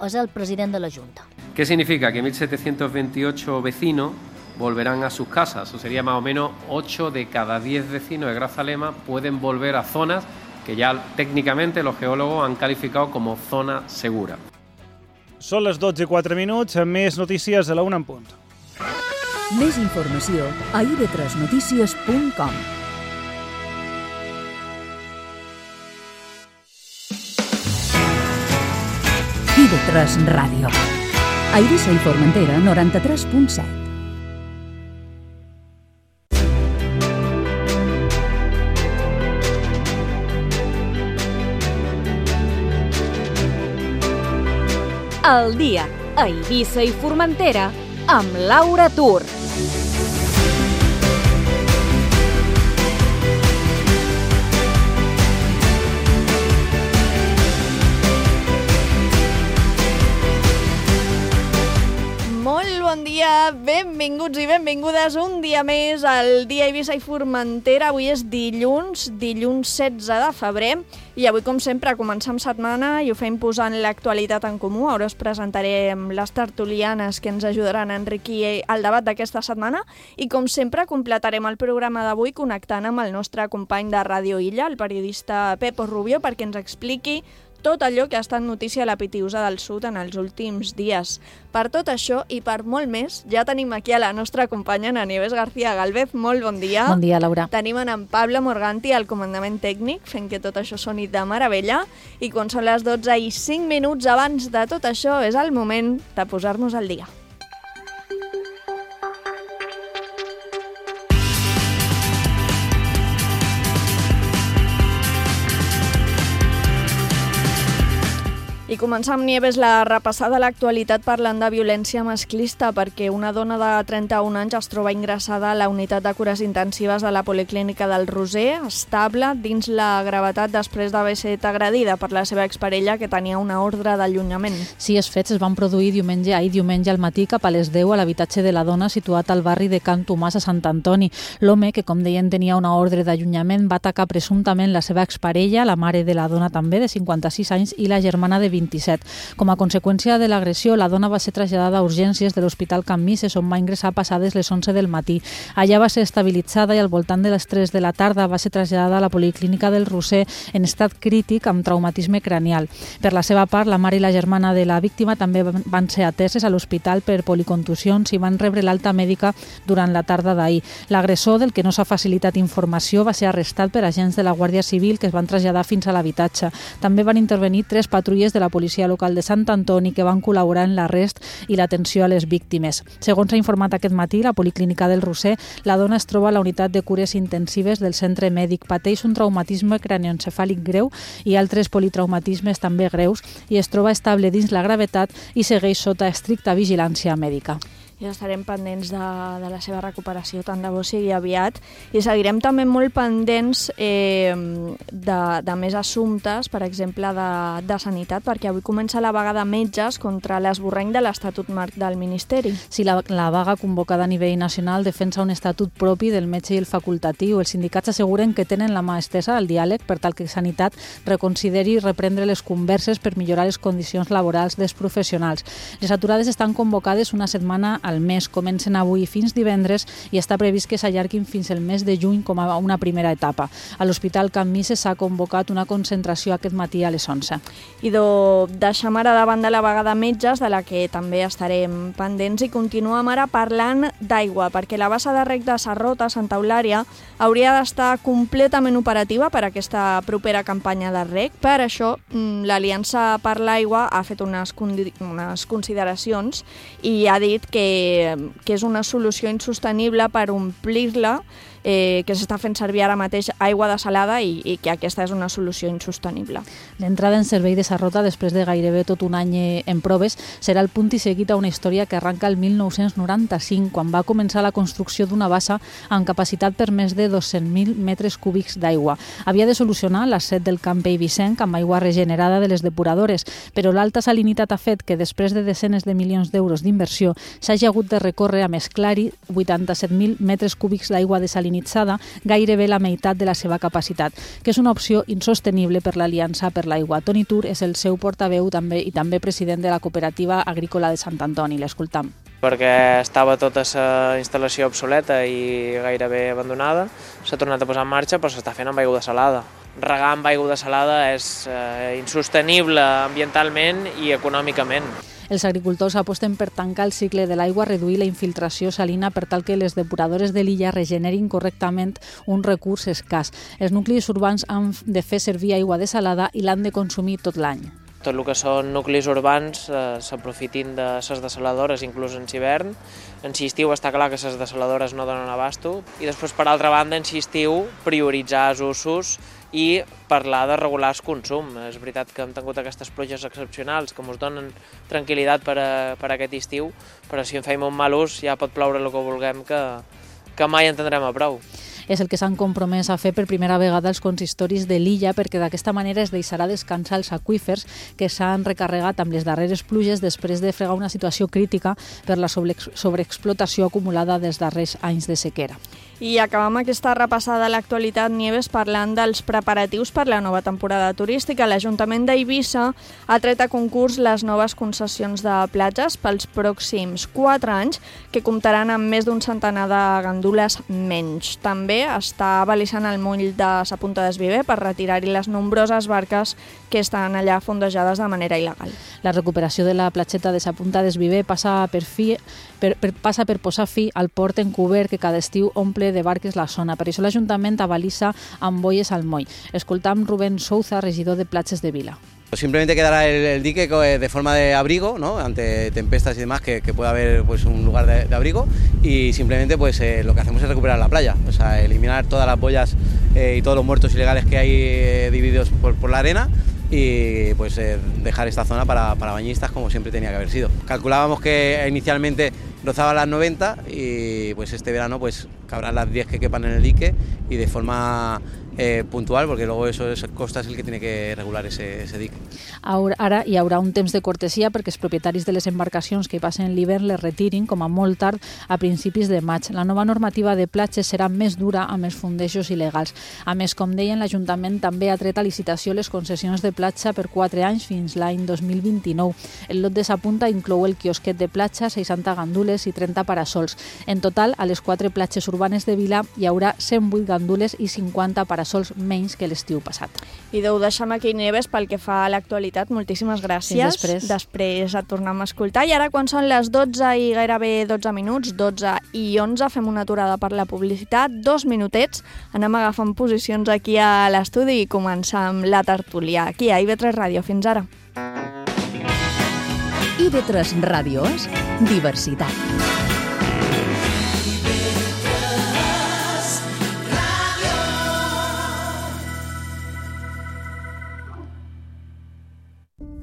és el president de la Junta. ¿Qué significa? Que 1.728 vecinos volverán a sus casas. Eso sería más o menos 8 de cada 10 vecinos de Grazalema pueden volver a zonas que ya técnicamente los geólogos han calificado como zona segura. Són les 12:04, més notícies a la 1 en punt. Més informació a ib3notícies.com. IB3 Ràdio. A Eivissa i Formentera, 93.7. El dia a Eivissa i Formentera amb Laura Tur. Molt bon dia, benvinguts i benvingudes un dia més al dia a Eivissa i Formentera. Avui és dilluns 16 de febrer i avui, com sempre, comencem setmana i ho fem posant l'actualitat en comú. Ara us presentarem les tertulianes que ens ajudaran a enriquir el debat d'aquesta setmana i, com sempre, completarem el programa d'avui connectant amb el nostre company de Ràdio Illa, el periodista Pepo Rubio, perquè ens expliqui tot allò que ha estat notícia a la Pitiusa del Sud en els últims dies. Per tot això i per molt més, ja tenim aquí a la nostra companya Ana Nieves García Gálvez. Molt bon dia. Bon dia, Laura. Tenim en Pablo Morganti al comandament tècnic, fent que tot això soni de meravella. I quan són les 12:05 abans de tot això, és el moment de posar-nos al dia. I començar amb Nieves la repassada a l'actualitat parlant de violència masclista, perquè una dona de 31 anys es troba ingressada a la unitat de cures intensives de la Policlínica del Roser, estable dins la gravetat després d'haver estat agredida per la seva exparella, que tenia una ordre d'allunyament. Sí, els fets es van produir diumenge al matí cap a les 10 a l'habitatge de la dona situat al barri de Can Tomàs a Sant Antoni. L'home, que com deien tenia una ordre d'allunyament, va atacar presumptament la seva exparella, la mare de la dona també, de 56 anys, i la germana de 27. Com a conseqüència de l'agressió, la dona va ser traslladada a urgències de l'Hospital Can Misses, on va ingressar passades les 11 del matí. Allà va ser estabilitzada i al voltant de les 3 de la tarda va ser traslladada a la Policlínica del Roser en estat crític amb traumatisme cranial. Per la seva part, la mare i la germana de la víctima també van ser ateses a l'hospital per policontusions i van rebre l'alta mèdica durant la tarda d'ahir. L'agressor, del que no s'ha facilitat informació, va ser arrestat per agents de la Guàrdia Civil que es van traslladar fins a l'habitatge. També van intervenir 3 patrulles de la policia local de Sant Antoni que van col·laborar en l'arrest i l'atenció a les víctimes. Segons s'ha informat aquest matí, la Policlínica del Roser, la dona es troba a la unitat de cures intensives del centre mèdic, pateix un traumatisme cranioencefàlic greu i altres politraumatismes també greus i es troba estable dins la gravetat i segueix sota estricta vigilància mèdica. Ja estarem pendents de la seva recuperació, tant de bo sigui aviat, i seguirem també molt pendents de més assumptes, per exemple, de sanitat, perquè avui comença la vaga de metges contra l'esborrany de l'Estatut Marc del Ministeri. Sí, la vaga convocada a nivell nacional defensa un estatut propi del metge i el facultatiu. Els sindicats asseguren que tenen la mà estesa al diàleg per tal que Sanitat reconsideri reprendre les converses per millorar les condicions laborals dels professionals. Les aturades estan convocades una setmana al mes, comencen avui fins divendres i està previst que s'allarguin fins el mes de juny com a una primera etapa. A l'Hospital Can Misses s'ha convocat una concentració aquest matí a les 11. I deixem ara davant de la vaga de metges, de la que també estarem pendents, i continuem ara parlant d'aigua, perquè la bassa de rec de Sarrota, Santa Eulària, hauria d'estar completament operativa per aquesta propera campanya de rec. Per això, l'Aliança per l'Aigua ha fet unes consideracions i ha dit que és una solució insostenible per omplir-la, que s'està fent servir ara mateix aigua desalada i que aquesta és una solució insostenible. L'entrada en servei de Sarrota, després de gairebé tot un any en proves, serà el punt i seguit a una història que arranca el 1995, quan va començar la construcció d'una bassa amb capacitat per més de 200.000 metres cúbics d'aigua. Havia de solucionar l'asset del camp eivissenc amb aigua regenerada de les depuradores, però l'alta salinitat ha fet que després de desenes de milions d'euros d'inversió s'hagi hagi hagut de recórrer a mesclar-hi 87.000 metres cúbics d'aigua desalinitzada, gairebé la meitat de la seva capacitat, que és una opció insostenible per l'Aliança per l'Aigua. Toni Tur és el seu portaveu i també president de la Cooperativa Agrícola de Sant Antoni. L'escoltam. Perquè estava tota la instal·lació obsoleta i gairebé abandonada, s'ha tornat a posar en marxa, però s'està fent amb aigua salada. Regar amb aigua salada és insostenible ambientalment i econòmicament. Els agricultors aposten per tancar el cicle de l'aigua, reduir la infiltració salina per tal que les depuradores de l'illa regenerin correctament un recurs escàs. Els nuclis urbans han de fer servir aigua desalada i l'han de consumir tot l'any. Tot el que són nuclis urbans s'aprofitin de les desaladores, inclús en hivern. En estiu està clar que les desaladores no donen abasto. I després, per altra banda, en estiu prioritzar els usos i parlar de regular el consum. És veritat que hem tingut aquestes pluges excepcionals que ens donen tranquil·litat per aquest estiu, però si en feim un mal ús ja pot ploure el que vulguem, que mai en tindrem a prou. És el que s'han compromès a fer per primera vegada els consistoris de l'illa, perquè d'aquesta manera es deixarà descansar els aqüífers que s'han recarregat amb les darreres pluges després de fregar una situació crítica per la sobreexplotació acumulada dels darrers anys de sequera. I acabam aquesta repassada a l'actualitat, Nieves, parlant dels preparatius per la nova temporada turística. L'Ajuntament d'Eivissa ha tret a concurs les noves concessions de platges pels pròxims 4 anys, que comptaran amb més d'un centenar de gandules menys. També està avalissant el moll de Sa Punta d'Esviver per retirar-hi les nombroses barques que estan allà fondejades de manera il·legal. La recuperació de la platgeta de Sa Punta d'Esviver passa per posar fi al port encobert que cada estiu omple de barques la zona. Per això l'Ajuntament avalissa amb boies al moll. Escoltam Rubén Souza, regidor de Platges de Vila. Simplemente quedará el dique de forma de abrigo, ¿no? Ante tempestas y demás, que pueda haber pues, un lugar de abrigo, y simplemente pues, lo que hacemos es recuperar la playa, o sea, eliminar todas las boyas y todos los muertos ilegales que hay divididos por la arena, y pues dejar esta zona para bañistas como siempre tenía que haber sido. Calculábamos que inicialmente rozaba las 90 y pues este verano pues cabrán las 10 que quepan en el dique y de forma puntual, porque luego Costa es el que tiene que regular ese dique. Ara hi haurà un temps de cortesia perquè els propietaris de les embarcacions que hi passen l'hivern les retirin com a molt tard a principis de maig. La nova normativa de platges serà més dura amb els fondejos il·legals. A més, com deien, l'Ajuntament també ha tret a licitació les concessions de platja per 4 anys fins l'any 2029. El lot de Sa Punta inclou el quiosquet de platja, 60 gandules i 30 parasols. En total, a les 4 platges urbanes de Vila hi haurà 108 gandules i 50 parasols menys que l'estiu passat. I ho deixem aquí, Nieves, pel que fa a l'actualitat. Moltíssimes gràcies. Després et tornem a escoltar. I ara, quan són les 12 i gairebé 12 minuts, 12 i 11, fem una aturada per la publicitat, 2 minutets, anem agafant posicions aquí a l'estudi i començar amb la tertúlia. Aquí a IB3 Ràdio. Fins ara. IB3 Ràdio és diversitat.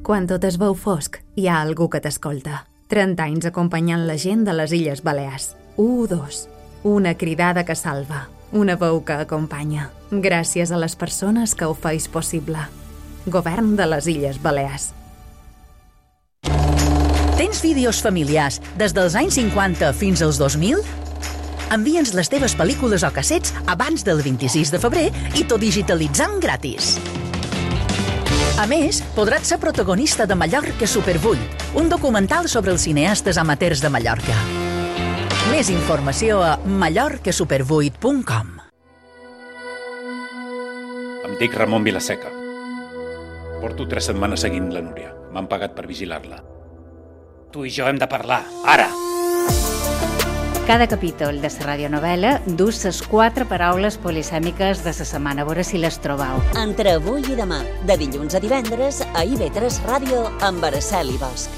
Quan tot es veu fosc, hi ha algú que t'escolta. 30 anys acompanyant la gent de les Illes Balears. 1-2. Una cridada que salva. Una veu que acompanya. Gràcies a les persones que ho feis possible. Govern de les Illes Balears. Tens vídeos familiars des dels anys 50 fins als 2000? Envia'ns les teves pel·lícules o cassets abans del 26 de febrer i t'ho digitalitzam gratis. A més, podràs ser protagonista de Mallorca Super 8, un documental sobre els cineastes amateurs de Mallorca. Més informació a mallorcasuper8.com. Em dic Ramon Vilaseca. Porto 3 setmanes seguint la Núria. M'han pagat per vigilar-la. Tu i jo hem de parlar, ara! Cada capítol de la radionovel·la du les 4 paraules polisèmiques de la setmana, a veure si les trobau. Entre avui i demà, de dilluns a divendres, a IB3 Ràdio amb Araceli Bosch.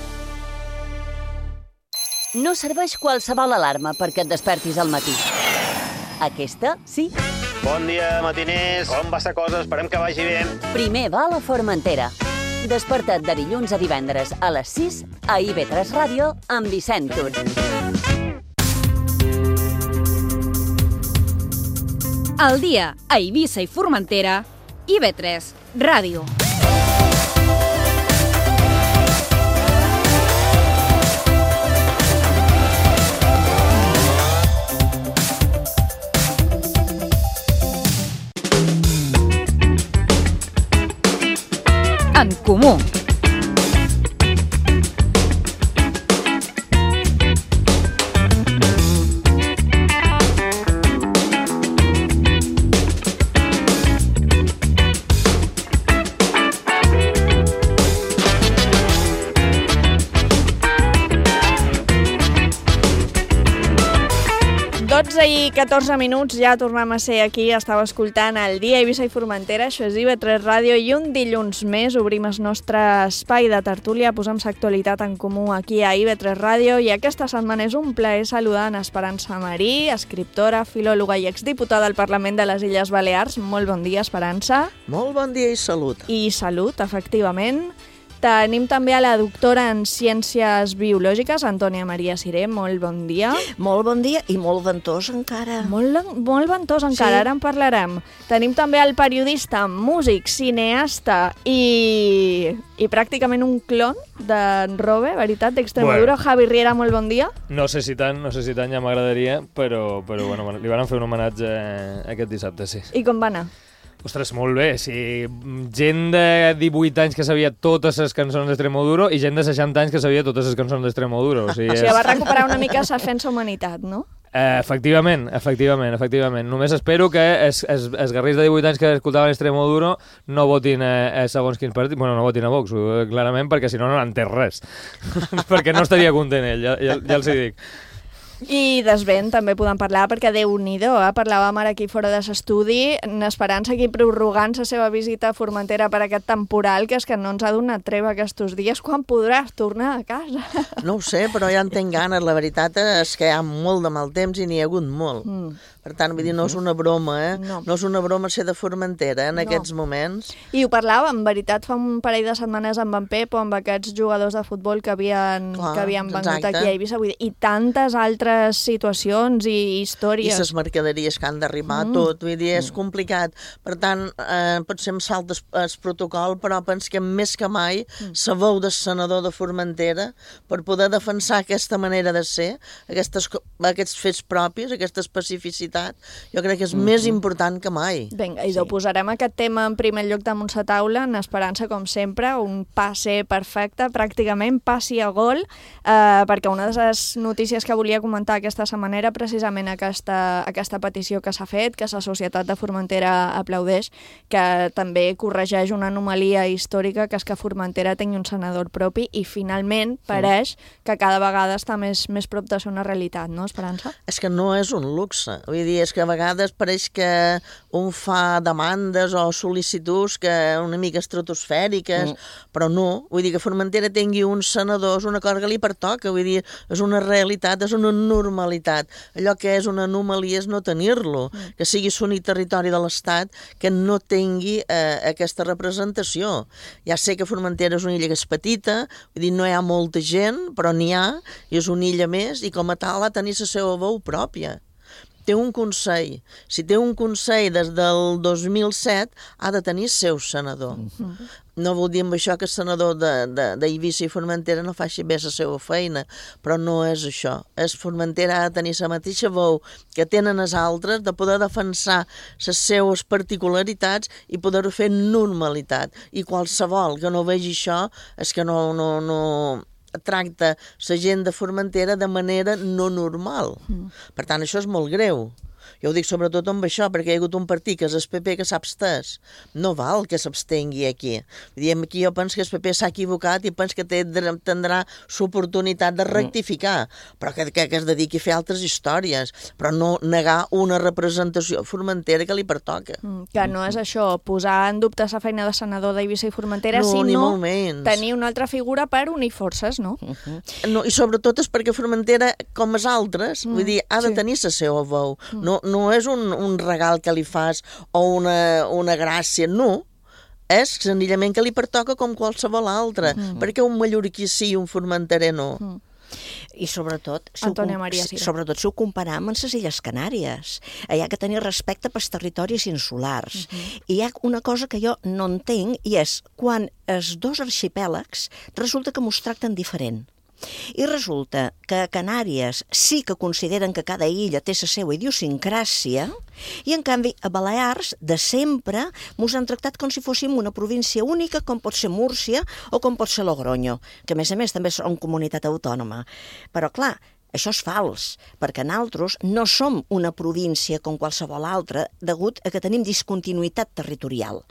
No serveix qualsevol alarma perquè et despertis al matí. Aquesta, sí. Bon dia, matiners. Com va la cosa? Esperem que vagi bé. Primer va a la Formentera. Desperta't de dilluns a divendres a les 6 a IB3 Ràdio amb Vicent Tur. Al dia, a Eivissa i Formentera, IB3 Ràdio. 12:14, ja tornem a ser aquí. Estava escoltant el Dia Eivissa i Formentera, això és IB3 Ràdio, i un dilluns més obrim el nostre espai de tertúlia, posem l'actualitat en comú aquí a IB3 Ràdio, i aquesta setmana és un plaer saludar en Esperança Marí, escriptora, filòloga i exdiputada al Parlament de les Illes Balears. Molt bon dia, Esperança. Molt bon dia i salut. I salut, efectivament. Tenim també a la doctora en Ciències Biològiques, Antònia Maria Siré. Molt bon dia. Molt bon dia i molt ventós encara. Molt ventós encara, ara en parlarem. Tenim també el periodista, músic, cineasta i pràcticament un clon d'en Robe, veritat, d'Extremadura. Bueno. Javi Riera, molt bon dia. No sé si tant, ja m'agradaria, però bueno, li van fer un homenatge aquest dissabte, sí. I com va anar? Ostres, molt bé, sí. Gent de 18 anys que sabia totes les cançons d'Extremoduro i gent de 60 anys que sabia totes les cançons d'Extremoduro. O sigui, va recuperar una mica la Defensa Humanitat, no? Efectivament. Només espero que els guerrers de 18 anys que escoltaven Extremoduro no votin segons quins partits. Bueno, no votin a Vox, clarament, perquè si no n'entén res. Perquè no estaria content ell, ja els hi dic. I d'esvent també podem parlar, perquè Déu-n'hi-do, parlàvem ara aquí fora de l'estudi, en Esperança aquí prorrogant la seva visita a Formentera per aquest temporal, que és que no ens ha donat treva aquests dies. Quan podràs tornar a casa? No ho sé, però ja en tinc ganes. La veritat és que hi ha molt de mal temps i n'hi ha hagut molt. Per tant, vull dir, no és una broma, No és una broma ser de Formentera en aquests moments. I ho parlàvem, en veritat, fa un parell de setmanes amb en Pep o amb aquests jugadors de futbol que havien vengut aquí a Eivissa, vull dir, i tantes altres situacions i històries. I les mercaderies que han d'arribar, tot, vull dir, és complicat. Per tant, potser em salta el protocol, però penso que més que mai la veu del senador de Formentera per poder defensar aquesta manera de ser, aquests fets propis, aquesta especificitat, jo crec que és més important que mai. Vinga, i posarem aquest tema en primer lloc damunt la taula, en Esperança, com sempre, un passe perfecte, pràcticament passi a gol, perquè una de les notícies que volia comentar aquesta setmana era precisament aquesta petició que s'ha fet, que la Societat de Formentera aplaudeix, que també corregeix una anomalia històrica, que és que Formentera tingui un senador propi, i finalment pareix que cada vegada està més prop de ser una realitat, no, Esperança? És que no és un luxe. Vull dir, és que a vegades pareix que un fa demandes o sol·licituds que una mica estratosfèriques, però no. Vull dir, que Formentera tingui un senador és una cosa que li pertoca, vull dir, és una realitat, és una normalitat. Allò que és una anomalia és no tenir-lo, que sigui l'únic territori de l'Estat que no tingui aquesta representació. Ja sé que Formentera és una illa que és petita, vull dir, no hi ha molta gent, però n'hi ha, i és una illa més, i com a tal ha de tenir la seva veu pròpia. Té un consell. Si té un consell des del 2007, ha de tenir seu senador. No vol dir amb això que el senador d'Eivissa i Formentera no faci bé la seva feina, però no és això. Formentera ha de tenir la mateixa veu que tenen els altres, de poder defensar les seues particularitats i poder-ho fer normalitat. I qualsevol que no vegi això és que no tracta la gent de Formentera de manera no normal. Per tant, això és molt greu. Jo ho dic sobretot amb això, perquè hi ha hagut un partit que és el PP que s'ha abstès. No val que s'abstengui aquí. Aquí jo penso que el PP s'ha equivocat i penso que tindrà l'oportunitat de rectificar, però que es dediqui a fer altres històries, però no negar una representació Formentera que li pertoca. Que no és això, posar en dubte la feina de senador d'Eivissa i Formentera, sinó tenir una altra figura per unir forces, no? No, i sobretot és perquè Formentera, com els altres, vull dir, ha de tenir la seva veu. No és un regal que li fas o una gràcia, no. És senzillament que li pertoca com qualsevol altre, perquè un mallorquí sí i un formenterer no. I sobretot, si ho comparem amb les Illes Canàries, hi ha que tenir respecte pels territoris insulars. I hi ha una cosa que jo no entenc, i és quan els dos arxipèlags resulta que mos tracten diferent. I resulta que a Canàries sí que consideren que cada illa té la seva idiosincràsia, i en canvi a Balears de sempre mos han tractat com si fóssim una província única, com pot ser Múrcia o com pot ser Logroño, que a més també són comunitat autònoma. Però clar, Això és fals, perquè nosaltres no som una província com qualsevol altra degut a que tenim discontinuïtat territorial.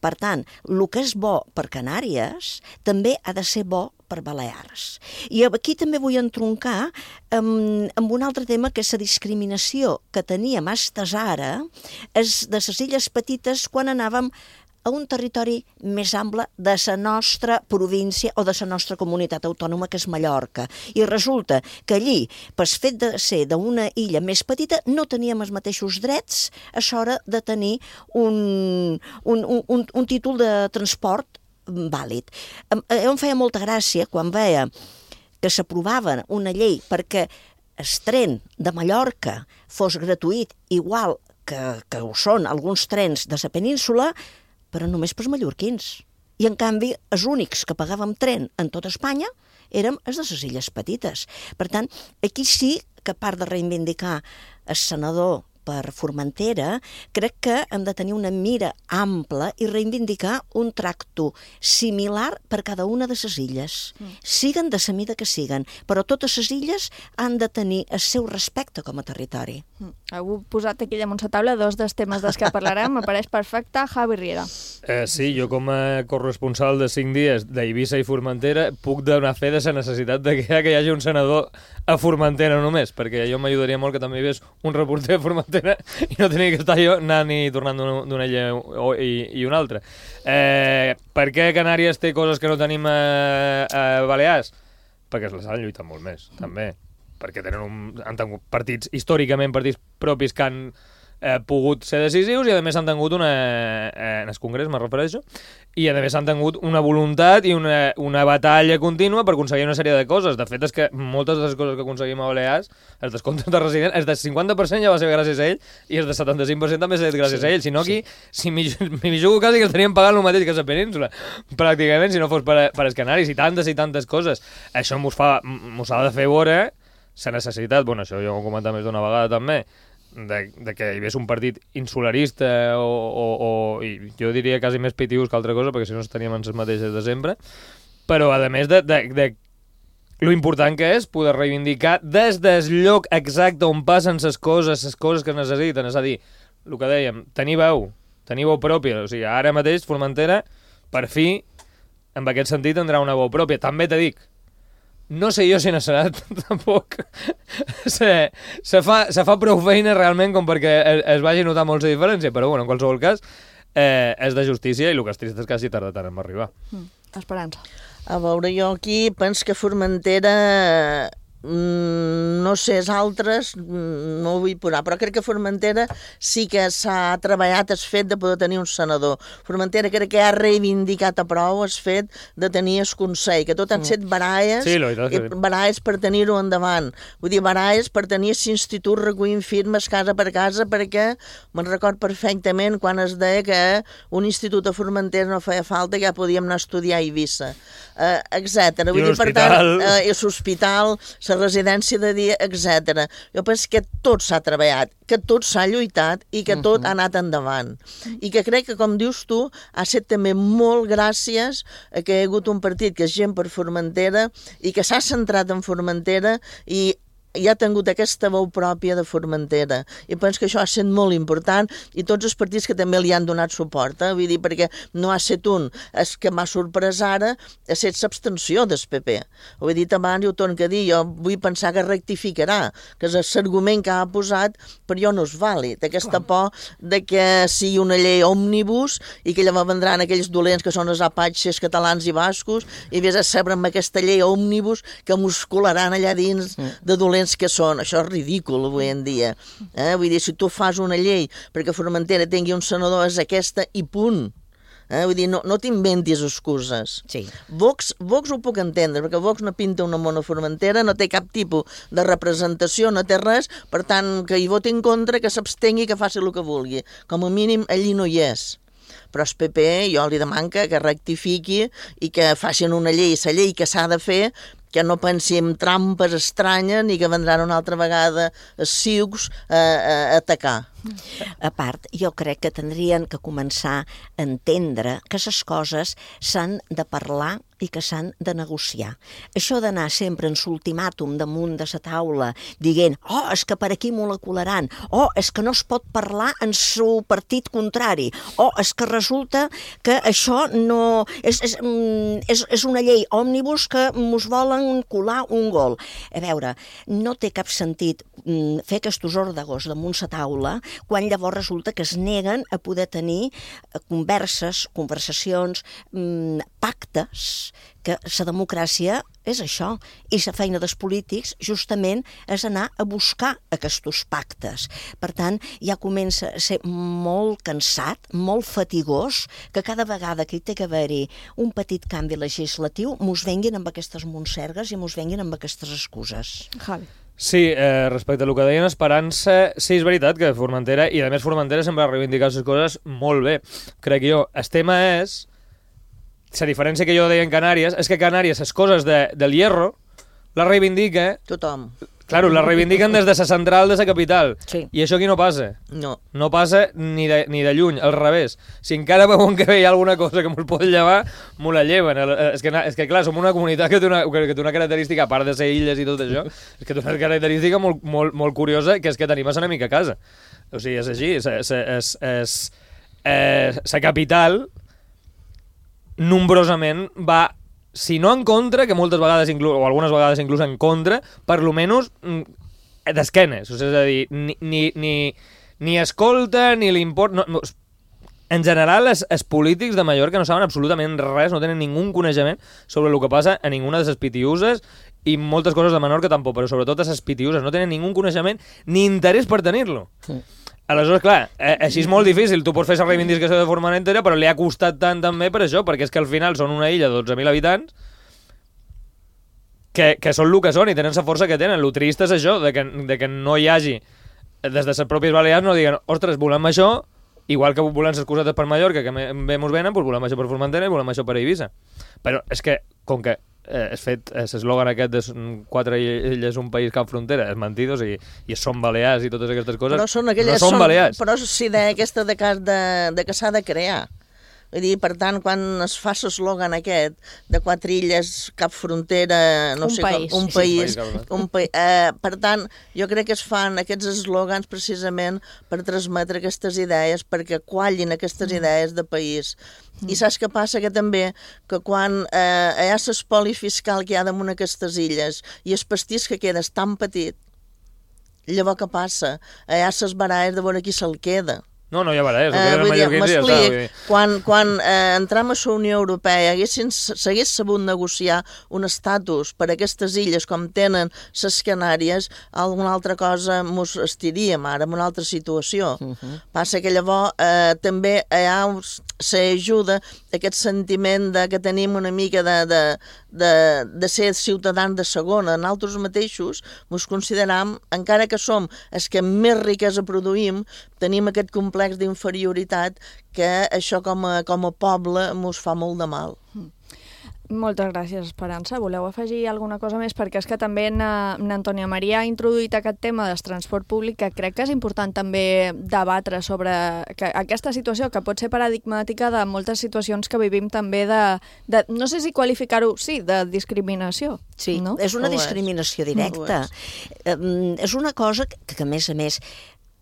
Per tant, el que és bo per Canàries també ha de ser bo per Balears. I aquí també vull entroncar amb un altre tema, que és la discriminació que teníem fins ara de les illes petites quan anàvem a un territori més ample de la nostra província o de la nostra comunitat autònoma, que és Mallorca. I resulta que allí, pel fet de ser d'una illa més petita, no teníem els mateixos drets a l'hora de tenir un títol de transport vàlid. Em feia molta gràcia quan veia que s'aprovava una llei perquè el tren de Mallorca fos gratuït, igual que ho són alguns trens de la península, però només pels mallorquins. I, en canvi, els únics que pagàvem tren en tota Espanya érem els de les illes petites. Per tant, aquí sí que, a part de reivindicar el senador per Formentera, crec que hem de tenir una mira ampla i reivindicar un tracte similar per cada una de les illes. Siguen de la mida que siguen, però totes les illes han de tenir el seu respecte com a territori. Heu posat aquí damunt la taula dos dels temes dels que parlarem, me pareix perfecte. Javi Riera. Sí, jo com a corresponsal de 5 dies d'Eivissa i Formentera puc donar fe de la necessitat de que hi hagi un senador a Formentera només, perquè jo m'ajudaria molt que també hi hagués un reporter a Formentera i no tenia que estar jo anant i tornant d'una illa i una altra. Per què Canàries té coses que no tenim a Balears? Perquè les han lluitat molt més, també. Perquè han tingut partits, històricament partits propis que han pogut ser decisius i a més han tingut en el Congrés, me refereixo, i a més han tingut una voluntat i una batalla contínua per aconseguir una sèrie de coses. De fet, és que moltes de les coses que aconseguim a Balears, els descomptes de resident, els del 50% ja va ser gràcies a ell i els del 75% també ha estat gràcies a ell. Si no, aquí, si m'hi jugo quasi que estaríem pagant el mateix que a la península, pràcticament, si no fos per als Canaris, i tantes coses. Això mos ha de fer veure la necessitat, bueno, això jo ho he comentat més d'una vegada també, de que hi hagués un partit insularista i jo diria quasi més pitius que altra cosa, perquè si no estaríem en les mateixes de sempre, però a més de lo important que és poder reivindicar des del lloc exacte on passen les coses que es necessiten, és a dir, el que dèiem, tenir veu pròpia, o sigui, ara mateix Formentera, per fi, en aquest sentit, tindrà una veu pròpia. També te dic, no sé jo si no serà tampoc. Se fa prou feina realment com perquè es vagi a notar molt la diferència, però bueno, en qualsevol cas és de justícia i el que és trist és que hagi tardat tant en arribar. Esperança. A veure, jo aquí penso que Formentera, no sé, els altres no ho vull posar, però crec que Formentera sí que s'ha treballat el fet de poder tenir un senador. Formentera crec que ha reivindicat a prou el fet de tenir el Consell, que tot han set baralles, baralles per tenir-ho endavant. Vull dir, baralles per tenir l'institut recollint firmes casa per casa, perquè me'n record perfectament quan es deia que un institut a Formentera no feia falta, que ja podíem anar a estudiar a Eivissa, etc. Vull dir, per tant, l'hospital, la residència de dia, etc. Jo penso que tot s'ha treballat, que tot s'ha lluitat i que tot ha anat endavant. I que crec que, com dius tu, ha estat també molt gràcies a que hi ha hagut un partit que és gent per Formentera i que s'ha centrat en Formentera i ha tingut aquesta veu pròpia de Formentera. I penso que això ha estat molt important i tots els partits que també li han donat suport, vull dir, perquè no ha estat un. El que m'ha sorprès ara ha estat l'abstenció del PP. Ho he dit abans i ho torno a dir, jo vull pensar que rectificarà, que l'argument que ha posat per jo no és vàlid, aquesta por de que sigui una llei òmnibus i que llavors vendran aquells dolents que són els apatxes catalans i bascos i vés a saber amb aquesta llei òmnibus que muscularan allà dins de dolents que són. Això és ridícul avui en dia. Vull dir, si tu fas una llei perquè Formentera tingui un senador és aquesta i punt. Vull dir, no t'inventis excuses. Sí. Vox ho puc entendre, perquè Vox no pinta una mona Formentera, no té cap tipus de representació, no té res, per tant, que hi voti en contra, que s'abstengui, que faci el que vulgui. Com a mínim, allí no hi és. però el PP jo li deman que rectifiqui i que facin una llei, la llei que s'ha de fer, que no pensi en trampes estranyes ni que vendran una altra vegada els ciucs a atacar. A part, jo crec que tindrien que començar a entendre que les coses s'han de parlar i que s'han de negociar. Això d'anar sempre en l'ultimàtum damunt de la taula dient és que per aquí molecularan, és que no es pot parlar en el partit contrari, és que resulta que això no... És una llei òmnibus que mos volen colar un gol. A veure, no té cap sentit fer aquests òrdegos damunt la taula quan llavors resulta que es neguen a poder tenir conversacions, pactes, que la democràcia és això, i la feina dels polítics justament és anar a buscar aquests pactes. Per tant, ja comença a ser molt cansat, molt fatigós, que cada vegada que hi té que haver-hi un petit canvi legislatiu mos venguin amb aquestes monsergues i mos venguin amb aquestes excuses. Javi. Sí, respecte al que deien Esperança, sí, és veritat que Formentera, i a més Formentera sempre ha reivindicat les coses molt bé, crec jo. El tema és, la diferència que jo deia en Canàries, és que a Canàries les coses del hierro les reivindica... Tothom. Claro, les reivindiquen des de la central de la capital. Sí. I això aquí no passa. No. No passa ni de lluny, al revés. Si encara veuen que hi ha alguna cosa que mos pot llevar, m'ho la lleven. És que clar, som una comunitat que té una característica, a part de ser illes i tot això, és que té una característica molt curiosa, que és que tenim a l'enemic a casa. O sigui, és així. La capital nombrosament va, si no en contra, que moltes vegades, o algunes vegades inclús en contra, per lo menys d'esquenes. O sigui, és a dir, ni escolta, ni li importa... No, en general, els polítics de Mallorca no saben absolutament res, no tenen ningú coneixement sobre el que passa a ninguna de les pitiuses i moltes coses de Menorca tampoc, però sobretot a les pitiuses. No tenen ningú coneixement ni interès per tenir-lo. Sí. Aleshores, clar, així és molt difícil. Tu pots fer la reivindicació de Formentera, però li ha costat tant també per això, perquè és que al final són una illa de 12.000 habitants que són el que són i tenen la força que tenen. El trist és això, de que no hi hagi, des de les pròpies Balears, no diguen, ostres, volem això, igual que volem les cosetes per Mallorca, que bé mos venen, doncs volem això per Formentera i volem això per Eivissa. Però és que, com que és fet l'eslògan aquest de 4 illes, un país cap frontera, és mentidos i són balears i totes aquestes coses, no són balears. Però sí d'aquesta de que s'ha de crear. Vull dir, per tant, quan es fa l'eslògan aquest de 4 illes, cap frontera, no sé com, un país. Per tant, jo crec que es fan aquests eslògans precisament per transmetre aquestes idees, perquè quallin aquestes idees de país. I saps què passa? Que també, que quan hi ha l'espoli fiscal que hi ha damunt aquestes illes i el pastís que queda és tan petit, llavors què passa? Hi ha les baralles de veure qui se'l queda. No hi ha baralles, ho queden mallorquins i ja està. Quan entrem a la Unió Europea s'hagués sabut negociar un estatus per a aquestes illes com tenen les Canàries, alguna altra cosa mos estiríem ara en una altra situació. Passa que llavors també hi ha s'ajuda aquest sentiment que tenim una mica de ser ciutadans de segona. Nosaltres mateixos ens consideram, encara que som els que més riquesa produïm, tenim aquest complex d'inferioritat que això com a poble ens fa molt de mal. Moltes gràcies, Esperança. Voleu afegir alguna cosa més? Perquè és que també n'Antònia Maria ha introduït aquest tema del transport públic, que crec que és important també debatre sobre aquesta situació, que pot ser paradigmàtica de moltes situacions que vivim també de no sé si qualificar-ho, sí, de discriminació. Sí, no? És una discriminació directa. És una cosa que, a més,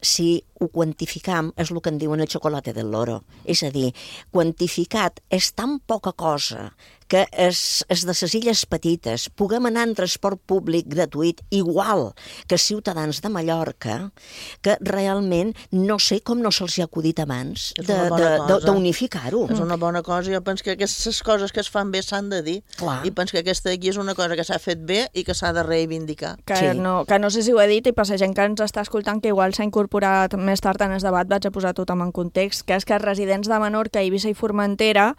si ho quantificam, és el que en diuen el xocolate del loro. És a dir, quantificat és tan poca cosa que és de les illes petites puguem anar en transport públic gratuït igual que ciutadans de Mallorca, que realment no sé com no se'ls ha acudit abans d'unificar-ho. És una bona cosa. Jo penso que aquestes coses que es fan bé s'han de dir. I penso que aquesta d'aquí és una cosa que s'ha fet bé i que s'ha de reivindicar. Que no sé si ho he dit, i per la gent que ens està escoltant, que igual s'ha incorporat més tard en el debat, vaig a posar tothom en context, que és que els residents de Menorca, Eivissa i Formentera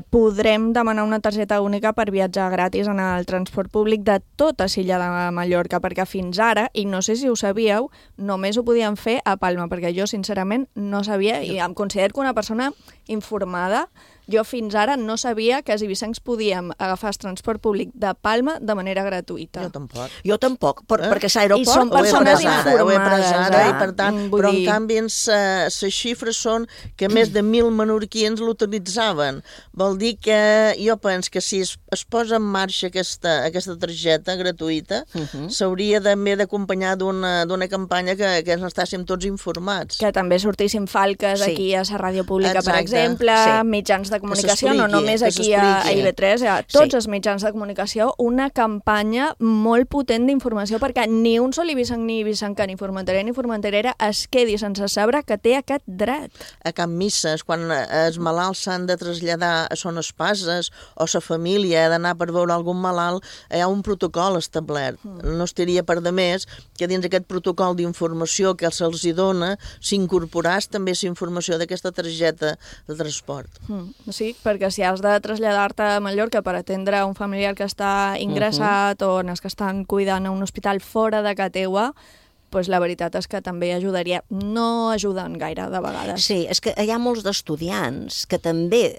podrem demanar una targeta única per viatjar gratis en el transport públic de tota l'illa de Mallorca, perquè fins ara, i no sé si ho sabíeu, només ho podien fer a Palma, perquè jo sincerament no sabia, i em considero que una persona informada, jo fins ara no sabia que els ibicencs podíem agafar el transport públic de Palma de manera gratuïta. Jo tampoc, perquè l'aeroport... I són persones informades. Ho he pres ara, i per tant, però en canvi les xifres són que més de 1.000 menorquins l'utilitzaven. Vol dir que jo penso que si es posa en marxa aquesta targeta gratuïta, s'hauria també d'acompanyar d'una campanya que ens estàssim tots informats. Que també sortissin falques aquí a la ràdio pública, per exemple, mitjans de comunicació, no només aquí a IB3, a tots els mitjans de comunicació, una campanya molt potent d'informació perquè ni un sol ibicenc ni ibicenca, ni formenterer ni formenterera es quedi sense saber que té aquest dret. A cap misses, quan els malalts s'han de traslladar a zones passes o la família ha d'anar per veure algun malalt, hi ha un protocol establert. No estaria per de més que dins aquest protocol d'informació que se'ls dona s'incorporàs també la informació d'aquesta targeta de transport. Sí, perquè si has de traslladar-te a Mallorca per atendre un familiar que està ingressat o en els que estan cuidant a un hospital fora de casa teua, doncs la veritat és que també ajudaria. No ajuden gaire, de vegades. Sí, és que hi ha molts d'estudiants que també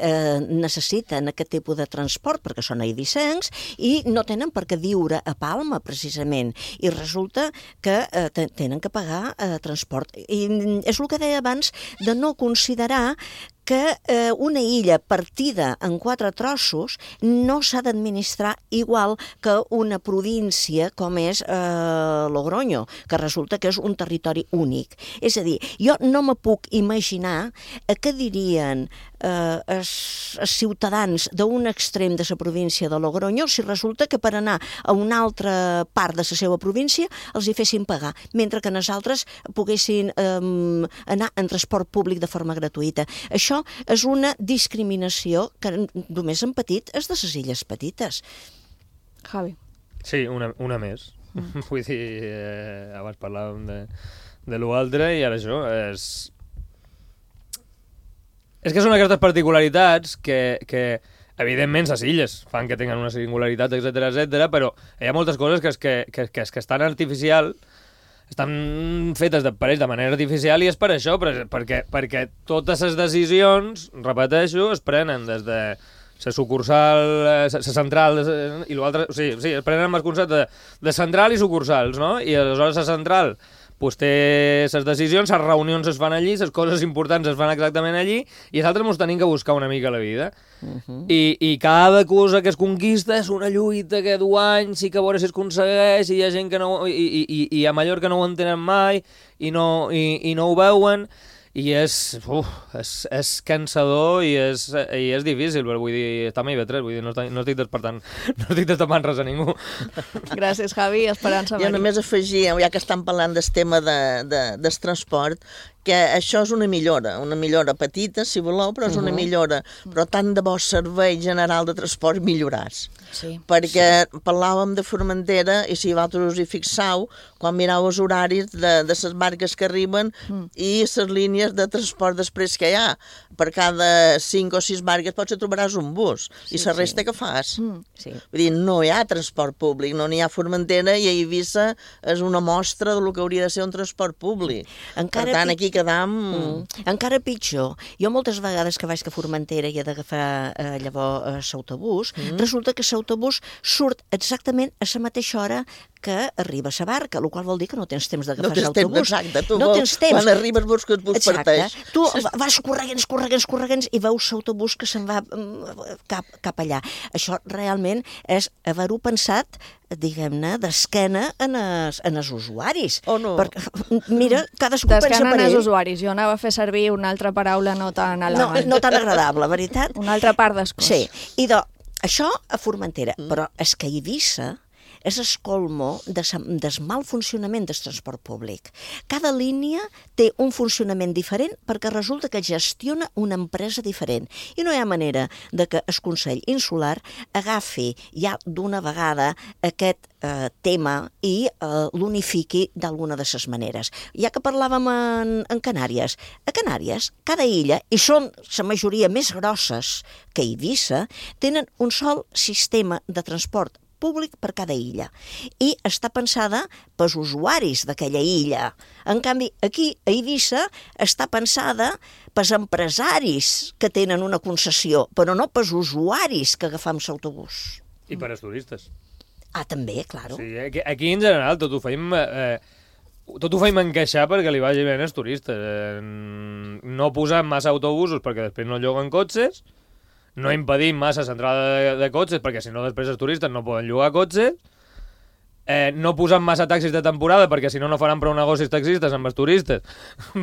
necessiten aquest tipus de transport perquè són eivissencs i no tenen per què viure a Palma, precisament. I resulta que tenen que pagar transport. I és el que deia abans de no considerar que una illa partida en 4 trossos no s'ha d'administrar igual que una província com és Logroño, que resulta que és un territori únic. És a dir, jo no me puc imaginar què dirien els ciutadans d'un extrem de la província de Logroño si resulta que per anar a una altra part de la seva província els hi fessin pagar, mentre que nosaltres poguessin anar en transport públic de forma gratuïta. Això és una discriminació que només han patit és de les illes petites. Javi. Sí, una més. Vull dir, abans parlàvem de l'altre i ara això és que són aquestes particularitats que evidentment les illes fan que tinguin una singularitat, etc, però hi ha moltes coses que estan artificial, estan fetes de manera artificial i és per això, perquè totes les decisions, repeteixo, es prenen des de la sucursal, la central i l'altre, o sigui, es prenen amb el concepte de central i sucursals, no? I aleshores la central pues té les decisions, les reunions es fan allí, les coses importants es fan exactament allí, i nosaltres ens tenim que buscar una mica la vida. I cada cosa que es conquista és una lluita que du anys i que a veure si es aconsegueix, i hi ha gent que no... I a Mallorca no ho entenen mai, i no ho veuen, i és cansador i és difícil, però vull dir, està a IB3, vull dir, no estic destapant res a ningú. Gràcies, Javi. Esperança. Jo només afegia, ja que estan parlant del tema del transport, que això és una millora petita, si voleu, però és una millora. Però tant de bo servei general de transport milloràs. Sí. Perquè parlàvem de Formentera i si vosaltres us hi fixeu, quan mireu els horaris de les barques que arriben i les línies de transport després que hi ha, per cada 5 o 6 barques potser trobaràs un bus i la resta que fas. Vull dir, no hi ha transport públic, no n'hi ha Formentera i a Eivissa és una mostra del que hauria de ser un transport públic. Per tant, aquí quedam... Encara pitjor. Jo moltes vegades que vaig a Formentera i he d'agafar llavors l'autobús, resulta que l'autobús surt exactament a la mateixa hora que arriba a la barca, el qual vol dir que no tens temps d'agafar l'autobús. Exacte, tu quan arribes vols que et bus parteix. Tu vas corregents i veus l'autobús que se'n va cap allà. Això realment és haver-ho pensat, diguem-ne, d'esquena en els usuaris. O no? Mira, cadascú pensa per ell. D'esquena en els usuaris. Jo anava a fer servir una altra paraula no tan elegant. No tan agradable, veritat? Una altra part d'escós. Sí, i això a Formentera, però és que a Eivissa és el colmo del mal funcionament del transport públic. Cada línia té un funcionament diferent perquè resulta que gestiona una empresa diferent. I no hi ha manera de que el Consell Insular agafi ja d'una vegada aquest tema i l'unifiqui d'alguna de les maneres. Ja que parlàvem en Canàries, a Canàries, cada illa, i són la majoria més grosses que Eivissa, tenen un sol sistema de transport públic per cada illa. I està pensada pels usuaris d'aquella illa. En canvi, aquí, a Eivissa, està pensada pels empresaris que tenen una concessió, però no pels usuaris que agafam l'autobús. I per als turistes. Ah, també, claro. Sí, aquí en general tot ho feim encaixar perquè li vagi bé als turistes. No posant massa autobusos perquè després no lloguen cotxes, no impedim massa l'entrada de cotxes perquè si no després els turistes no poden llogar cotxes, no posant massa taxis de temporada perquè si no no faran prou negocis taxistes amb els turistes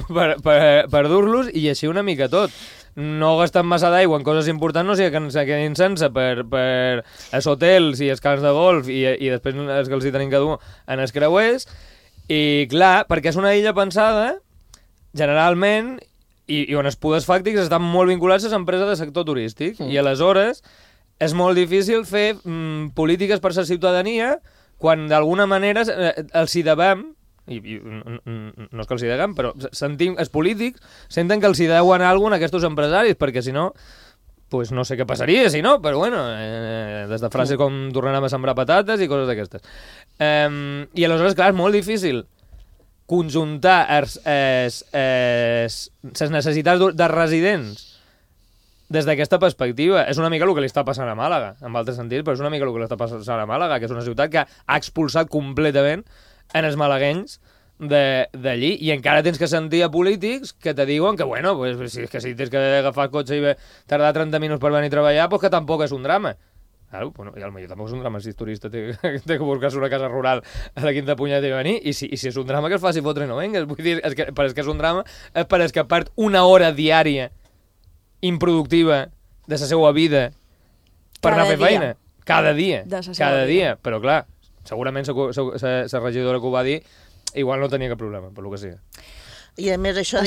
per dur-los, i així una mica tot. No gastant massa d'aigua en coses importants, no sigui que ens quedin sense per els hotels i els camps de golf i després els que els hi tenim que dur en els creuers. I clar, perquè és una illa pensada generalment i on els poders fàctics estan molt vinculats a les empreses del sector turístic, i aleshores és molt difícil fer polítiques per la ciutadania quan d'alguna manera els hi devem, i no és que els hi deguem, però sentim, els polítics senten que els hi deuen alguna a aquests empresaris, perquè si no, pues no sé què passaria si no, però bueno, des de frases com tornarem a sembrar patates i coses d'aquestes. I aleshores, clar, és molt difícil conjuntar les necessitats de residents des d'aquesta perspectiva. És una mica el que li està passant a Màlaga, en altres sentits, però és una mica el que li està passant a Màlaga, que és una ciutat que ha expulsat completament en els malaguenys d'allí, i encara tens que sentir a polítics que te diuen que, bueno, pues, si tens que agafar el cotxe i tardar 30 minuts per venir a treballar, pues que tampoc és un drama. Claro, bueno, i potser tampoc és un drama si és turista, té que buscar-se una casa rural a la quinta punyeta i venir, i si és un drama que es faci fotre i no vengues. Vull dir, per és que és un drama, és per és que perd una hora diària improductiva de la seva vida per anar a fer feina. Cada dia. Però clar, segurament la regidora que ho va dir igual no tenia cap problema, per lo que sigui. I a més això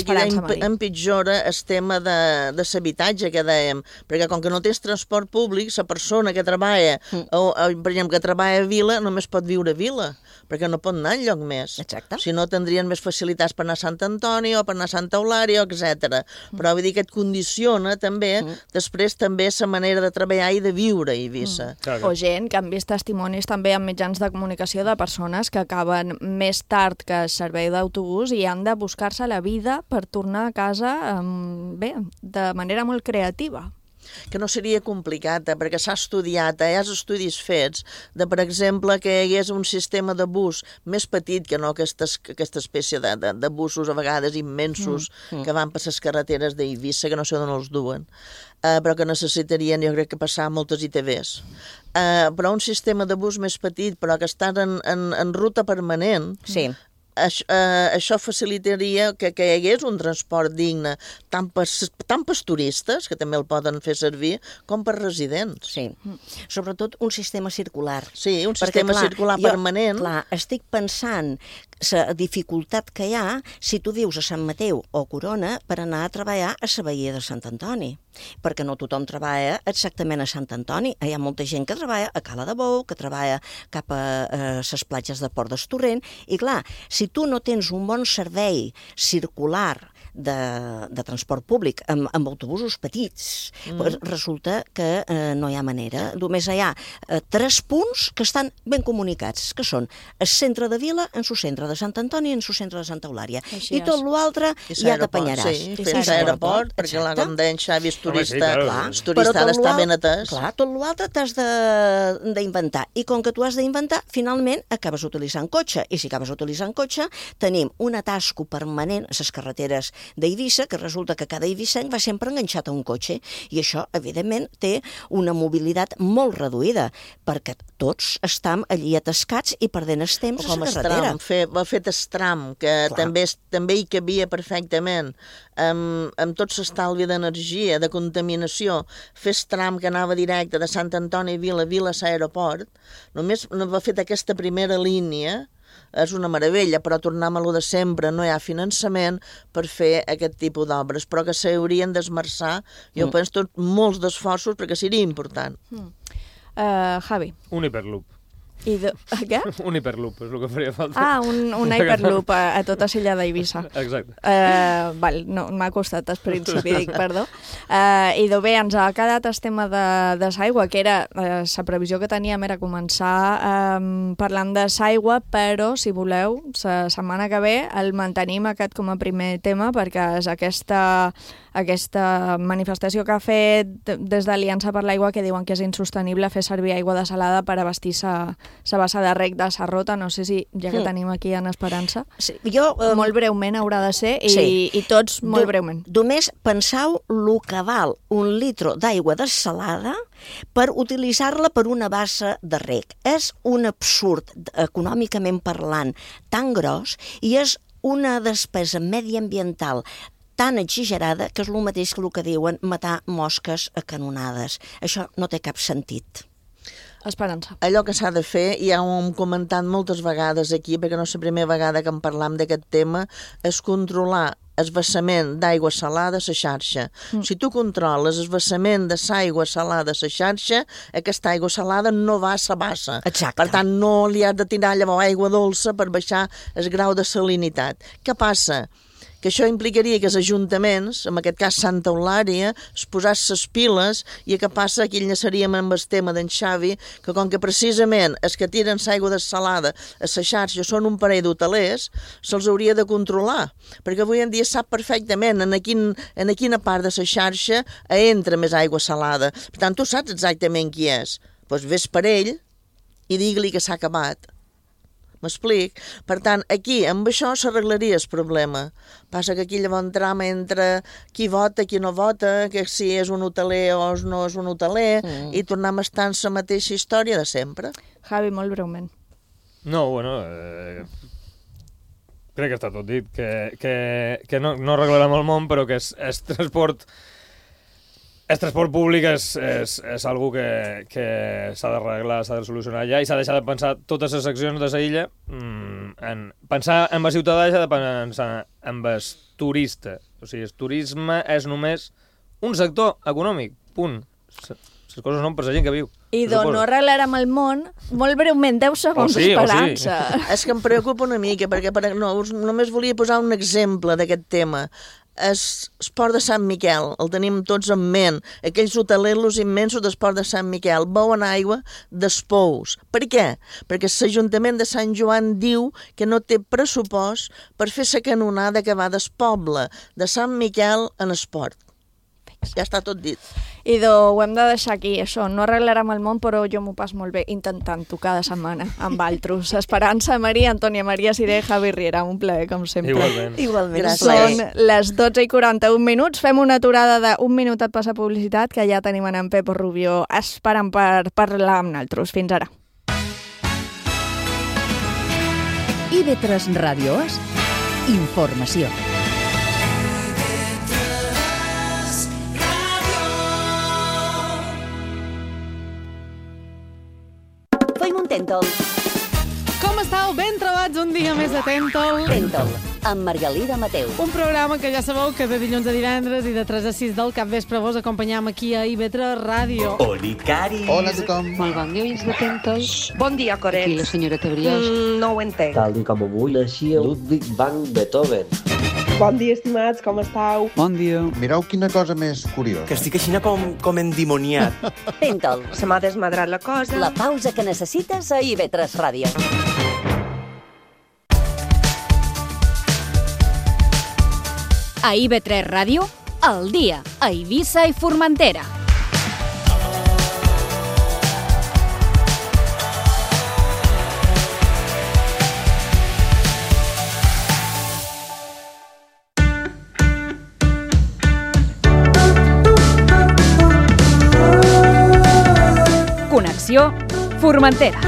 empitjora el tema de l'habitatge que dèiem, perquè com que no tens transport públic, la persona que treballa, per exemple, que treballa a Vila, només pot viure a Vila, perquè no pot anar enlloc més. Exacte. Si no, tindrien més facilitats per anar a Sant Antoni o per anar a Santa Eulària, etc. Però vull dir que et condiciona també, després també la manera de treballar i de viure a Eivissa. O gent que han vist testimonis també en mitjans de comunicació de persones que acaben més tard que el servei d'autobús i han de buscar la vida per tornar a casa bé, de manera molt creativa. Que no seria complicat, perquè s'ha estudiat, hi ha estudis fets de, per exemple, que hi hagués un sistema de bus més petit que no aquesta espècie de busos a vegades immensos que van per les carreteres d'Eivissa, que no sé on els duen, però que necessitarien, jo crec que passar moltes ITVs. Però un sistema de bus més petit, però que està en ruta permanent, això facilitaria que hi hagués un transport digne tant pels turistes, que també el poden fer servir, com per residents. Sí, sobretot un sistema circular. Sí, un sistema circular permanent. Clar, estic pensant la dificultat que hi ha si tu vius a Sant Mateu o Corona per anar a treballar a la Badia de Sant Antoni, perquè no tothom treballa exactament a Sant Antoni. Hi ha molta gent que treballa a Cala de Bou, que treballa cap a les platges de Port d'Estorrent, i clar, si tu no tens un bon servei circular de transport públic amb autobusos petits, resulta que no hi ha manera. Només hi ha 3 punts que estan ben comunicats, que són el centre de Vila, en su centre de Sant Antoni i en su centre de Santa Eulària. I tot l'altre ja t'apanyaràs. Sí, fins a l'aeroport, perquè com deien Xavi, el turista ha d'estar ben atès. Clar, tot l'altre t'has d'inventar. I com que tu has d'inventar, finalment acabes utilitzant cotxe. I si acabes utilitzant cotxe, tenim un atasco permanent a les carreteres d'Eivissa, que resulta que cada eivissenc va sempre enganxat a un cotxe, i això, evidentment, té una mobilitat molt reduïda, perquè tots estem allí atascats i perdent el temps a la carretera. Va fet estram, que també hi cabia perfectament, amb tot l'estalvi d'energia, de contaminació, fer estram que anava directe de Sant Antoni Vila a l'aeroport, només va fet aquesta primera línia, és una meravella, però tornem a lo de sempre, no hi ha finançament per fer aquest tipus d'obres, però que s'haurien d'esmerçar, jo penso, molts d'esforços perquè seria important. Javi. Un hiperloop. Què? Un hiperloop, és el que faria falta. Un hiperloop a tota l'illa d'Eivissa. Exacte. No, m'ha costat al principi, dic, perdó. I bé, ens ha quedat el tema de l'aigua, que era la previsió que teníem era començar parlant de l'aigua, però, si voleu, la setmana que ve el mantenim aquest com a primer tema, perquè és aquesta manifestació que ha fet des d'Aliança per l'Aigua, que diuen que és insostenible fer servir aigua desalada per abastir la bassa de rec de Sarrota. No sé si, ja que tenim aquí en Esperança, molt breument haurà de ser, i tots molt breument. Només penseu el que val un litre d'aigua desalada per utilitzar-la per una bassa de rec. És un absurd, econòmicament parlant, tan gros, i és una despesa mediambiental tan exagerada que és el mateix que el que diuen matar mosques a canonades. Això no té cap sentit. Esperança. Allò que s'ha de fer, ja ho hem comentat moltes vegades aquí, perquè no és la primera vegada que en parlam d'aquest tema, és controlar el vessament d'aigua salada a la xarxa. Si tu controles el vessament de l'aigua salada a la xarxa, aquesta aigua salada no va a la bassa. Exacte. Per tant, no li has de tirar llavors aigua dolça per baixar el grau de salinitat. Què passa? Que això implicaria que els ajuntaments, en aquest cas Santa Eulària, es posàs les piles, i què passa? Aquí enllaçaríem amb el tema d'en Xavi, que com que precisament els que tiren l'aigua desalada a la xarxa són un parell d'hotelers, se'ls hauria de controlar, perquè avui en dia sap perfectament en quina part de la xarxa entra més aigua salada. Per tant, tu saps exactament qui és. Doncs ves per ell i digue-li que s'ha acabat. M'explic? Per tant, aquí, amb això s'arreglaria el problema. Passa que aquí llavors trama entre qui vota, qui no vota, que si és un hoteler o no és un hoteler, i tornem a estar en la mateixa història de sempre. Javi, molt breument. No, bueno, crec que està tot dit, que no arreglarem el món, però que és transport... El transport públic és algo que s'ha d'arreglar, s'ha de solucionar ja, i s'ha deixat de pensar totes les accions de la illa, pensar en el ciutadà i s'ha de pensar en el turista. O sigui, el turisme és només un sector econòmic, punt. Les coses són per la gent que viu. I no arreglarem el món, molt breument, 10 segons d'esperança. És que em preocupa una mica, perquè només volia posar un exemple d'aquest tema. El port de Sant Miquel, el tenim tots en ment, aquells hotelers immensos del port de Sant Miquel, beuen aigua dels pous. Per què? Perquè l'Ajuntament de Sant Joan diu que no té pressupost per fer la canonada que va del poble de Sant Miquel en el port. Ja està tot dit. Idò, ho hem de deixar aquí, això. No arreglarem el món, però jo m'ho pas molt bé intentant-ho cada setmana amb altres. Esperança, Maria, Antònia Maria Siré, Javi Riera. Un plaer, com sempre. Igualment. Són les 12:41. Fem una aturada d'un minutet per la publicitat, que ja tenim en Pepo Rubió esperant per parlar amb nosaltres. Fins ara. IB3 Ràdio és informació. Tèntol. Com estàu? Ben trobats un dia més de Tèntol. Tèntol, amb Margalida Mateu. Un programa que ja sabeu que de dilluns a divendres i de 3 a 6 del capvespre vos acompanyam aquí a IB3 Ràdio. Olicari. Hola a tothom. Molt bon dia, veïns de Tèntol. Bon dia, Coret. Aquí la senyora Brioix. No ho entenc. Tal com avui naixia Ludwig van Beethoven. Bon dia, estimats, com estàu? Bon dia. Mireu quina cosa més curiosa. Que estic així com endimoniat. Tèntol. Se m'ha desmadrat la cosa. La pausa que necessites a IB3 Ràdio. A IB3 Ràdio, al dia, a Eivissa i Formentera. Ràdio, Formentera.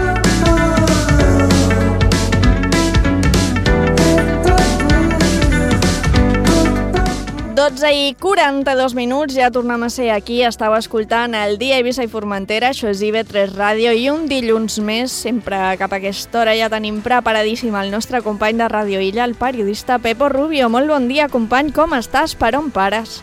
12:42, ja tornem a ser aquí. Estàu escoltant el Dia a Eivissa i Formentera, això és IB3 Ràdio, i un dilluns més, sempre cap a aquesta hora ja tenim preparadíssim el nostre company de Ràdio Illa, el periodista Pepo Rubio. Molt bon dia, company, com estàs? Per on pares?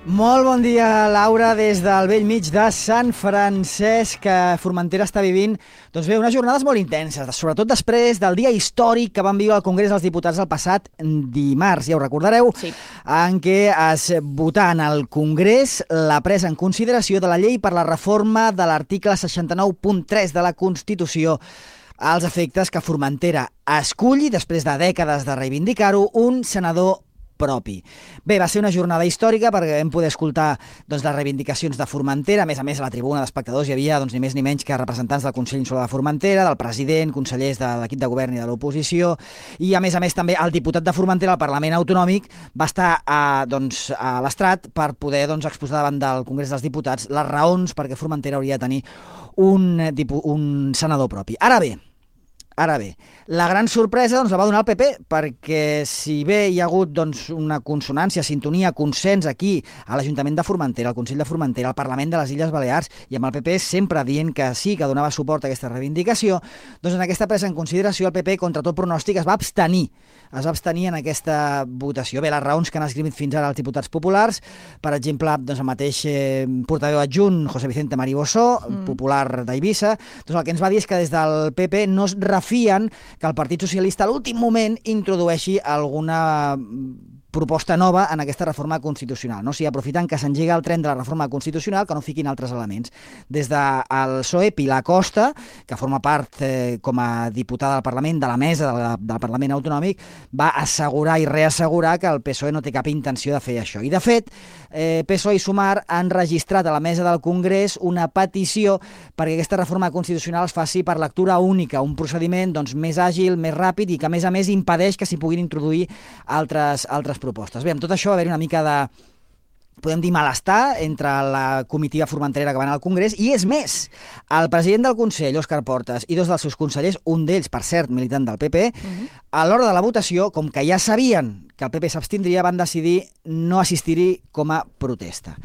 Molt bon dia, Laura, des del bell mig de Sant Francesc, que Formentera està vivint doncs bé, unes jornades molt intenses, sobretot després del dia històric que van viure al Congrés dels Diputats el passat dimarts, ja ho recordareu, sí, en què es votà en el Congrés la presa en consideració de la llei per la reforma de l'article 69.3 de la Constitució, als efectes que Formentera esculli, després de dècades de reivindicar-ho, un senador propi. Bé, va ser una jornada històrica perquè vam poder escoltar les reivindicacions de Formentera. A més, a la tribuna d'espectadors hi havia ni més ni menys que representants del Consell Insular de Formentera, del president, consellers de l'equip de govern i de l'oposició, i a més també el diputat de Formentera al Parlament Autonòmic va estar a l'estrat per poder exposar davant del Congrés dels Diputats les raons perquè Formentera hauria de tenir un senador propi. Ara bé, la gran sorpresa la va donar el PP, perquè si bé hi ha hagut una consonància, sintonia, consens aquí a l'Ajuntament de Formentera, al Consell de Formentera, al Parlament de les Illes Balears, i amb el PP sempre dient que sí, que donava suport a aquesta reivindicació, doncs en aquesta presa en consideració el PP, contra tot pronòstic, es va abstenir en aquesta votació. Bé, les raons que han esgrimit fins ara els diputats populars, per exemple, el mateix portaveu adjunt, José Vicente Maribossó, popular d'Eivissa, doncs el que ens va dir és que des del PP no es refien que el Partit Socialista a l'últim moment introdueixi alguna proposta nova en aquesta reforma constitucional. No? O sigui, aprofitant que s'engega el tren de la reforma constitucional, que no fiquin altres elements. Des del PSOE, Pilar Costa, que forma part com a diputada del Parlament, de la mesa del Parlament Autonòmic, va assegurar i reassegurar que el PSOE no té cap intenció de fer això. I, de fet, PSOE i Sumar han registrat a la mesa del Congrés una petició perquè aquesta reforma constitucional es faci per lectura única, un procediment més àgil, més ràpid i que, a més, impedeix que s'hi puguin introduir altres propostes. Bé, amb tot això va haver-hi una mica de, podem dir, malestar entre la comitiva formenterera que va anar al Congrés, i és més, el president del Consell, Òscar Portas, i dos dels seus consellers, un d'ells, per cert, militant del PP, a l'hora de la votació, com que ja sabien que el PP s'abstindria, van decidir no assistir-hi com a protesta.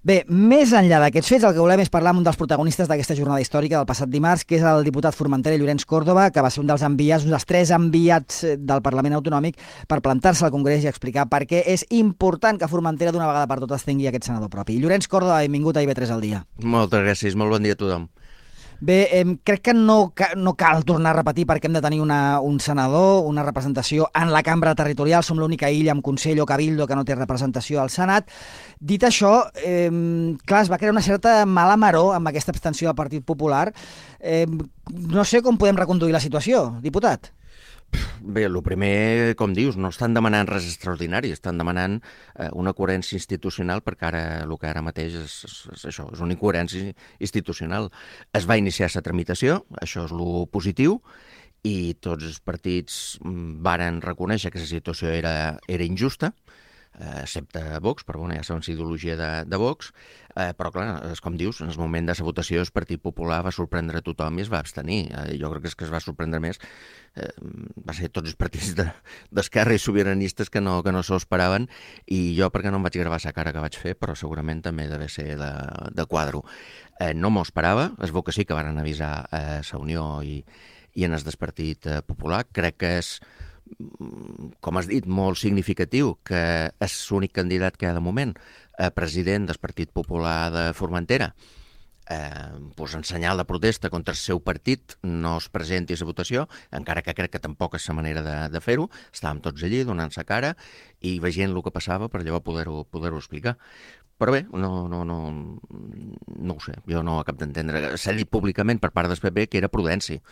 Bé, més enllà d'aquests fets, el que volem és parlar amb un dels protagonistes d'aquesta jornada històrica del passat dimarts, que és el diputat formentera Llorenç Córdoba, que va ser un dels enviats, un dels 3 enviats del Parlament Autonòmic per plantar-se al Congrés i explicar per què és important que Formentera d'una vegada per totes tingui aquest senador propi. Llorenç Córdoba, benvingut a IB3 al dia. Moltes gràcies, molt bon dia a tothom. Bé, crec que no cal tornar a repetir perquè hem de tenir un senador, una representació en la cambra territorial. Som l'única illa amb Consell o Cabildo que no té representació al Senat. Dit això, clar, es va crear una certa mala maror amb aquesta abstenció del Partit Popular. No sé com podem reconduir la situació, diputat. Bé, el primer, com dius, no estan demanant res extraordinari, estan demanant una coherència institucional, perquè ara el que ara mateix és això, és una incoherència institucional. Es va iniciar la tramitació, això és lo positiu, i tots els partits varen reconèixer que la situació era injusta, excepte Vox, però ja sabem la ideologia de Vox, però clar, com dius, en el moment de la votació el Partit Popular va sorprendre a tothom i es va abstenir. Jo crec que es va sorprendre més va ser tots els partits d'esquerra i sobiranistes que no s'ho esperaven, i jo perquè no em vaig gravar la cara que vaig fer, però segurament també deve ser de quadro. No m'ho esperava, es veu que sí que van avisar a la Unió i en el Partit Popular. Crec que és, com has dit, molt significatiu que és l'únic candidat que hi ha de moment a president del Partit Popular de Formentera, en senyal de protesta contra el seu partit no es presenti a la votació, encara que crec que tampoc és la manera de fer-ho. Estàvem tots allí donant-se cara i veient el que passava per llavors poder-ho explicar. Però bé, no ho sé, jo no ho acabo d'entendre. S'ha dit públicament per part del PP que era prudència,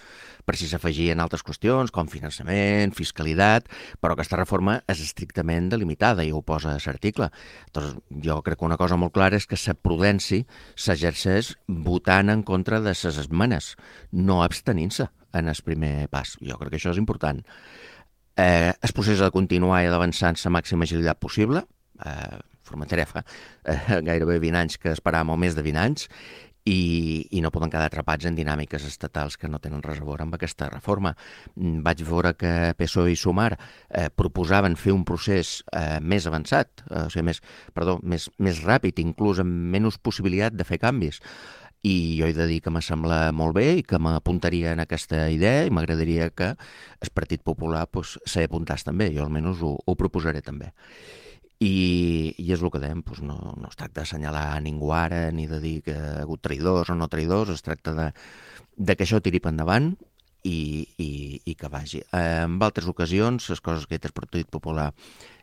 per si s'afegien altres qüestions com finançament, fiscalitat, però aquesta reforma és estrictament delimitada i ho posa a l'article. Doncs jo crec que una cosa molt clara és que la prudència s'exerceix votant en contra de les esmenes, no abstenint-se en el primer pas. Jo crec que això és important. El procés ha de continuar i ha d'avançar amb la màxima agilitat possible. Formentera fa gairebé 20 anys que esperàvem, o més de 20 anys, i no poden quedar atrapats en dinàmiques estatals que no tenen res a veure amb aquesta reforma. Vaig veure que PSOE i Sumar proposaven fer un procés més avançat, o sigui, més ràpid, inclús amb menys possibilitat de fer canvis. I jo he de dir que me sembla molt bé i que m'apuntaria en aquesta idea i m'agradaria que el Partit Popular s'hi apuntàs també. Jo almenys ho proposaré també. I és el que dèiem, no es tracta d'assenyalar ningú ara ni de dir que ha hagut traïdors o no traïdors, es tracta de que això tiri per endavant i que vagi. En altres ocasions, les coses que he dit el Partit Popular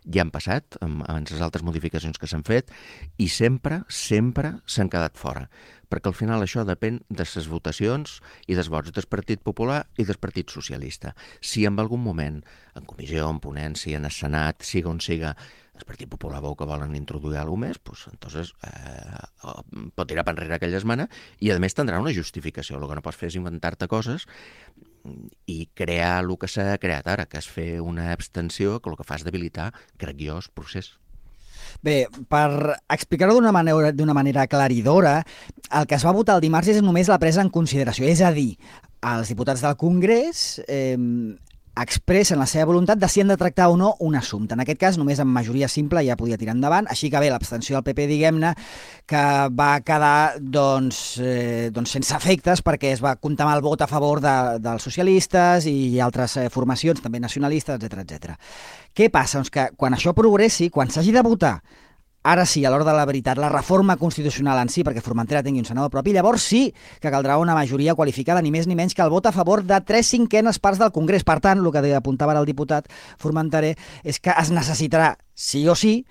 ja han passat, amb les altres modificacions que s'han fet, i sempre s'han quedat fora, perquè al final això depèn de les votacions i dels vots del Partit Popular i del Partit Socialista. Si en algun moment, en comissió, en ponència, en el Senat, siga on siga, el Partit Popular veu que volen introduir alguna cosa més, entonces pot tirar per enrere aquella esmena i, a més, tindrà una justificació. El que no pots fer és inventar-te coses i crear el que s'ha creat ara, que és fer una abstenció que el que fa és debilitar, crec jo, el procés. Bé, per explicar-ho d'una manera aclaridora, el que es va votar el dimarts és només la presa en consideració, és a dir, els diputats del Congrés expressen la seva voluntat de si han de tractar o no un assumpte. En aquest cas, només amb majoria simple ja podia tirar endavant, així que bé, l'abstenció del PP, diguem-ne, que va quedar sense efectes perquè es va comptar amb el vot a favor dels socialistes i altres formacions, també nacionalistes, etc. Què passa? Doncs que quan això progressi, quan s'hagi de votar, ara sí, a l'hora de la veritat, la reforma constitucional en si, perquè Formentera tingui un senador propi, llavors sí que caldrà una majoria qualificada, ni més ni menys que el vot a favor de 3/5 parts del Congrés. Per tant, el que apuntava ara el diputat Formenterer és que es necessitarà, sí o sí,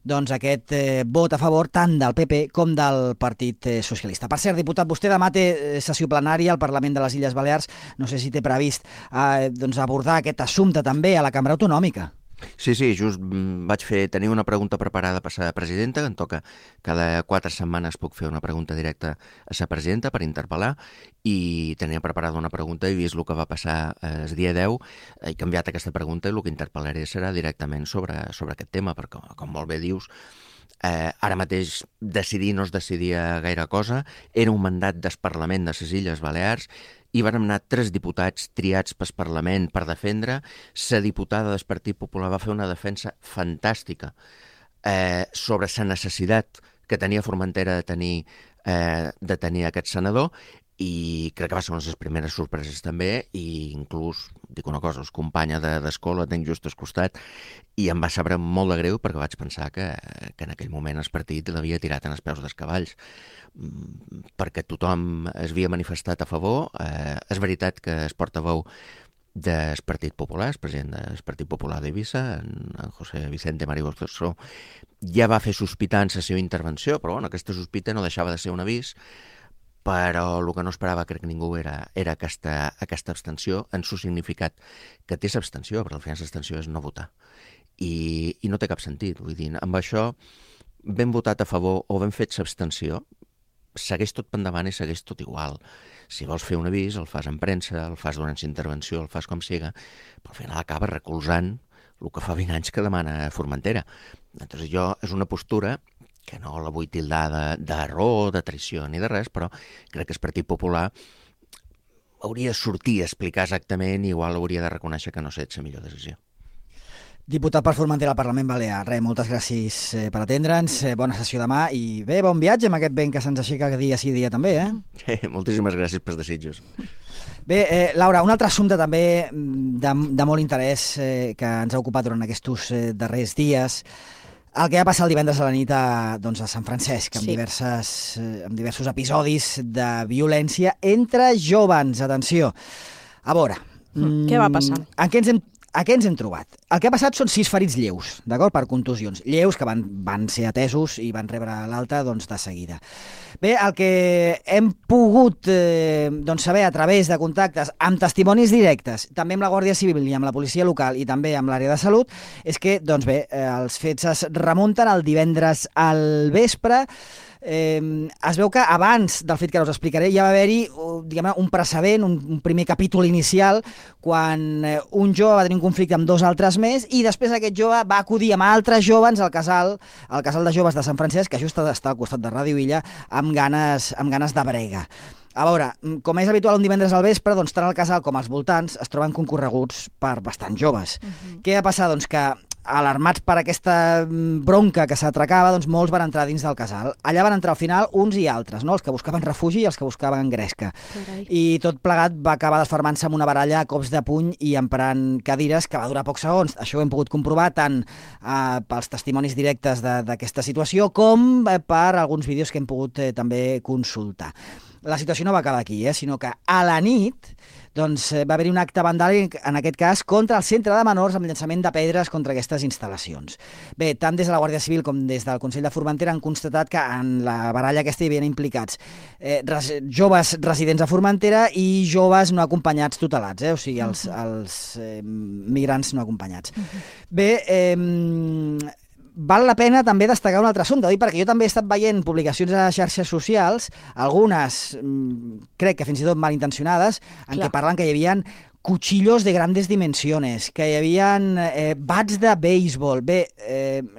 doncs aquest vot a favor tant del PP com del Partit Socialista. Per cert, diputat, vostè demà té sessió plenària al Parlament de les Illes Balears. No sé si té previst abordar aquest assumpte també a la Cambra Autonòmica. Sí, just vaig tenir una pregunta preparada per la presidenta, que em toca cada 4 setmanes puc fer una pregunta directa a la presidenta per interpel·lar, i tenia preparada una pregunta i vist el que va passar el dia 10, he canviat aquesta pregunta i el que interpel·laré serà directament sobre aquest tema, perquè, com molt bé dius, ara mateix decidir no es decidia gaire cosa, era un mandat del Parlament de les Illes Balears i van anar 3 diputats triats pel Parlament per defendre. La diputada del Partit Popular va fer una defensa fantàstica sobre la necessitat que tenia Formentera de tenir aquest senador, i crec que va ser una de les primeres sorpreses també, i inclús, dic una cosa, us companya d'escola, tenc just al costat, i em va saber molt de greu perquè vaig pensar que en aquell moment el partit l'havia tirat en els peus dels cavalls, perquè tothom es havia manifestat a favor. És veritat que el portaveu del Partit Popular, el president del Partit Popular d'Eivissa, en José Vicente Marigoso, ja va fer sospitar en la seva intervenció, però aquesta sospita no deixava de ser un avís, però el que no esperava, crec, ningú era aquesta abstenció en su significat, que té l'abstenció, però al final l'abstenció és no votar. I no té cap sentit. Vull dir, amb això, ben votat a favor o ben fet l'abstenció, segueix tot per endavant i segueix tot igual. Si vols fer un avís, el fas en premsa, el fas durant la intervenció, el fas com siga, però al final acaba recolzant el que fa 20 anys que demana Formentera. Entonces és una postura que no la vull tildar d'error, de traïció ni de res, però crec que el Partit Popular hauria de sortir a explicar exactament i igual hauria de reconèixer que no ha estat la millor decisió. Diputat per Formentera al Parlament Balear, moltes gràcies per atendre'ns, bona sessió demà i bé, bon viatge amb aquest vent que se'ns aixeca dia sí dia també, Moltíssimes gràcies pels desitjos. Bé, Laura, un altre assumpte també de molt interès que ens ha ocupat durant aquests darrers dies, el que va passar el divendres a la nit a Sant Francesc, amb diversos episodis de violència entre jóvens. Atenció. A veure... Què va passar? A què ens hem trobat? El que ha passat són 6 ferits lleus, d'acord? Per contusions. Lleus que van ser atesos i van rebre l'alta de seguida. Bé, el que hem pogut saber a través de contactes amb testimonis directes, també amb la Guàrdia Civil i amb la policia local i també amb l'àrea de salut, és que, els fets es remunten el divendres al vespre, es veu que abans del fet que us explicaré ja va haver-hi un precedent, un primer capítol inicial, quan un jove va tenir un conflicte amb 2 altres més i després aquest jove va acudir amb altres joves al casal de joves de Sant Francesc, que just està al costat de Ràdio Illa, amb ganes de brega. A veure, com és habitual un divendres al vespre, doncs tant al casal com als voltants es troben concorreguts per bastants joves. Què va passar? Doncs que alarmats per aquesta bronca que s'atracava, doncs molts van entrar dins del casal. Allà van entrar al final uns i altres, no? Els que buscaven refugi i els que buscaven gresca. Carai. I tot plegat va acabar desfermant-se amb una baralla a cops de puny i emprant cadires que va durar pocs segons. Això ho hem pogut comprovar tant pels testimonis directes d'aquesta situació com per alguns vídeos que hem pogut també consultar. La situació no va acabar aquí, sinó que a la nit va haver-hi un acte vandàlic, en aquest cas, contra el centre de menors amb llançament de pedres contra aquestes instal·lacions. Bé, tant des de la Guàrdia Civil com des del Consell de Formentera han constatat que en la baralla aquesta hi havien implicats joves residents a Formentera i joves no acompanyats tutelats, o sigui, els migrants no acompanyats. Bé, val la pena també destacar un altre assumpte, perquè jo també he estat veient publicacions a xarxes socials, algunes crec que fins i tot malintencionades, en què parlen que hi havia cuchillos de grandes dimensiones, que hi havia bats de béisbol. Bé,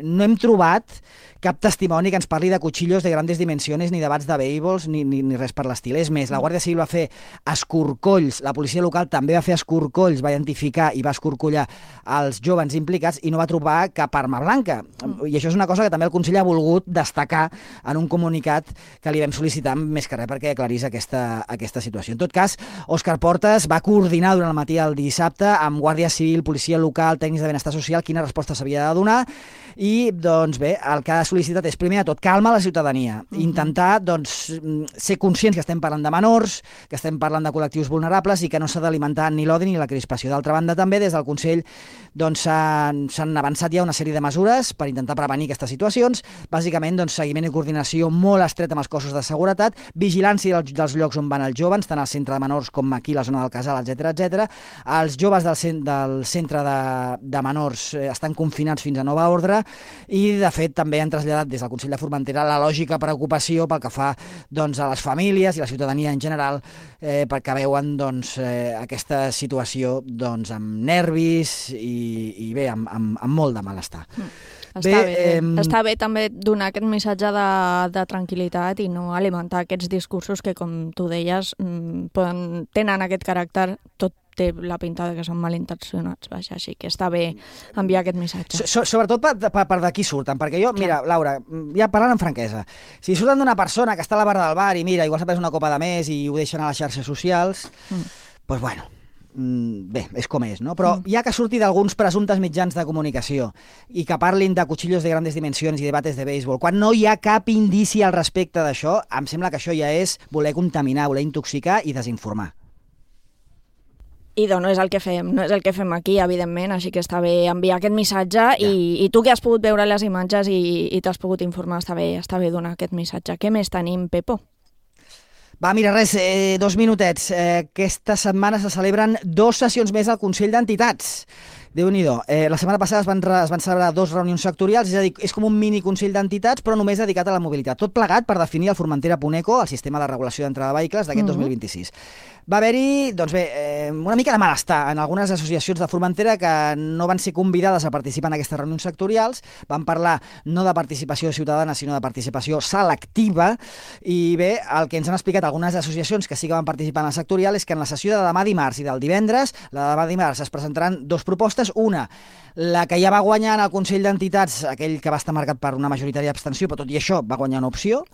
no hem trobat cap testimoni que ens parli de cuchillos de grandes dimensiones, ni de bats de béisbols, ni res per l'estil. És més, la Guàrdia Civil va fer escorcolls, la policia local també va fer escorcolls, va identificar i va escorcollar els joves implicats i no va trobar cap arma blanca. I això és una cosa que també el Consell ha volgut destacar en un comunicat que li vam sol·licitar més que res perquè aclarís aquesta situació. En tot cas, Òscar Portes va coordinar durant el matí del dissabte amb Guàrdia Civil, policia local, tècnics de benestar social, quina resposta s'havia de donar i, doncs bé, el que ha sol·licitat és, primer de tot, calma la ciutadania, intentar ser conscients que estem parlant de menors, que estem parlant de col·lectius vulnerables i que no s'ha d'alimentar ni l'odi ni la crispació. D'altra banda, també, des del Consell s'han avançat ja una sèrie de mesures per intentar prevenir aquestes situacions, bàsicament seguiment i coordinació molt estret amb els cossos de seguretat, vigilància dels llocs on van els joves, tant al centre de menors com aquí a la zona del casal, etc. Els joves del centre de menors estan confinats fins a nova ordre i, de fet, també han traslladat des del Consell de Formentera la lògica preocupació pel que fa a les famílies i la ciutadania en general perquè veuen aquesta situació amb nervis i bé, amb molt de malestar. Està bé també donar aquest missatge de tranquil·litat i no alimentar aquests discursos que, com tu deies, tenen aquest caràcter, tot té la pinta que són malintencionats, així que està bé enviar aquest missatge. Sobretot per d'aquí surten, perquè jo, mira, Laura, ja parlant amb franquesa, si surten d'una persona que està a la barra del bar i mira, igual s'ha pres una copa de més i ho deixen a les xarxes socials, doncs bueno, bé, és com és, no? Però ja que surti d'alguns presumptes mitjans de comunicació i que parlin de cuchillos de grandes dimensions i de bates de béisbol, quan no hi ha cap indici al respecte d'això, em sembla que això ja és voler contaminar, voler intoxicar i desinformar. I no és el que fem aquí, evidentment, així que està bé enviar aquest missatge i tu que has pogut veure les imatges i t'has pogut informar, està bé donar aquest missatge. Què més tenim, Pepo? Va, mira, res, 2 minutets. Aquesta setmana se celebren 2 sessions més al Consell d'Entitats. Déu-n'hi-do. La setmana passada es van celebrar 2 reunions sectorials, és a dir, és com un mini Consell d'Entitats, però només dedicat a la mobilitat. Tot plegat per definir el Formentera Puneco, el sistema de regulació d'entrada de vehicles d'aquest 2026. Va haver-hi, doncs bé, una mica de malestar en algunes associacions de Formentera que no van ser convidades a participar en aquestes reunions sectorials, van parlar no de participació ciutadana, sinó de participació selectiva, i bé, el que ens han explicat algunes associacions que sí que van participar en la sectorial és que en la sessió de demà dimarts i del divendres, la de demà dimarts es presentaran 2 propostes, una, la que ja va guanyar en el Consell d'Entitats, aquell que va estar marcat per una majoritària abstenció, però tot i això va guanyar una opció,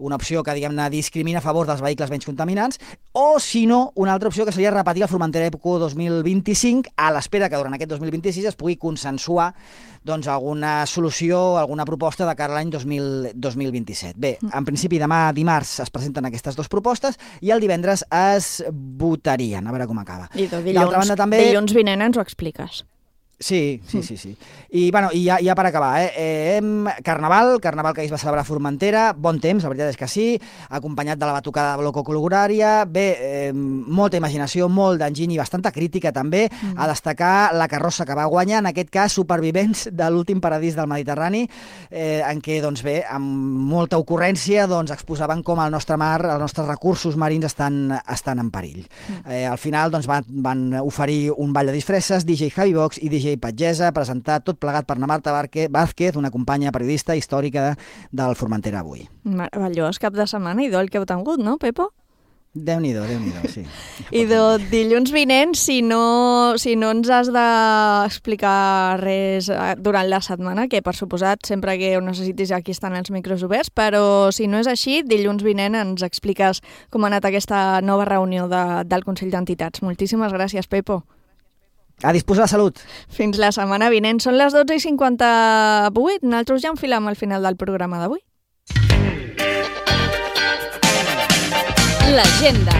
una opció que, diguem-ne, discrimina a favor dels vehicles menys contaminants, o, si no, una altra opció que seria repetir el Formentera Eco 2025 a l'espera que durant aquest 2026 es pugui consensuar alguna solució, alguna proposta de cara a l'any 2027. Bé, en principi demà dimarts es presenten aquestes 2 propostes i el divendres es votarien, a veure com acaba. I dilluns vinent ens ho expliques. Sí. I ja per acabar, Carnaval que ahir es va celebrar a Formentera, bon temps, la veritat és que sí, acompanyat de la batucada de Bloco Colugurària, molta imaginació, molt d'enginy i bastanta crítica també, a destacar la carrossa que va guanyar, en aquest cas Supervivents de l'últim paradís del Mediterrani, en què, amb molta ocurrència, exposaven com el nostre mar, els nostres recursos marins estan en perill. Al final van oferir un ball de disfresses, DJ Javi Box i DJ Patgesa, presentat tot plegat per na Marta Vázquez, una companya periodista històrica del Formentera Avui. Meravellós cap de setmana i el que heu tingut, no, Pepo? Déu-n'hi-do, sí. I dilluns vinent, si no ens has d'explicar res durant la setmana, que per suposat, sempre que ho necessitis aquí estan els micros oberts, però si no és així, dilluns vinent ens expliques com ha anat aquesta nova reunió del Consell d'Entitats. Moltíssimes gràcies, Pepo. A disposar de salut. Fins la setmana vinent. Són les 12:58. Nosaltres ja enfilam al final del programa d'avui. L'agenda.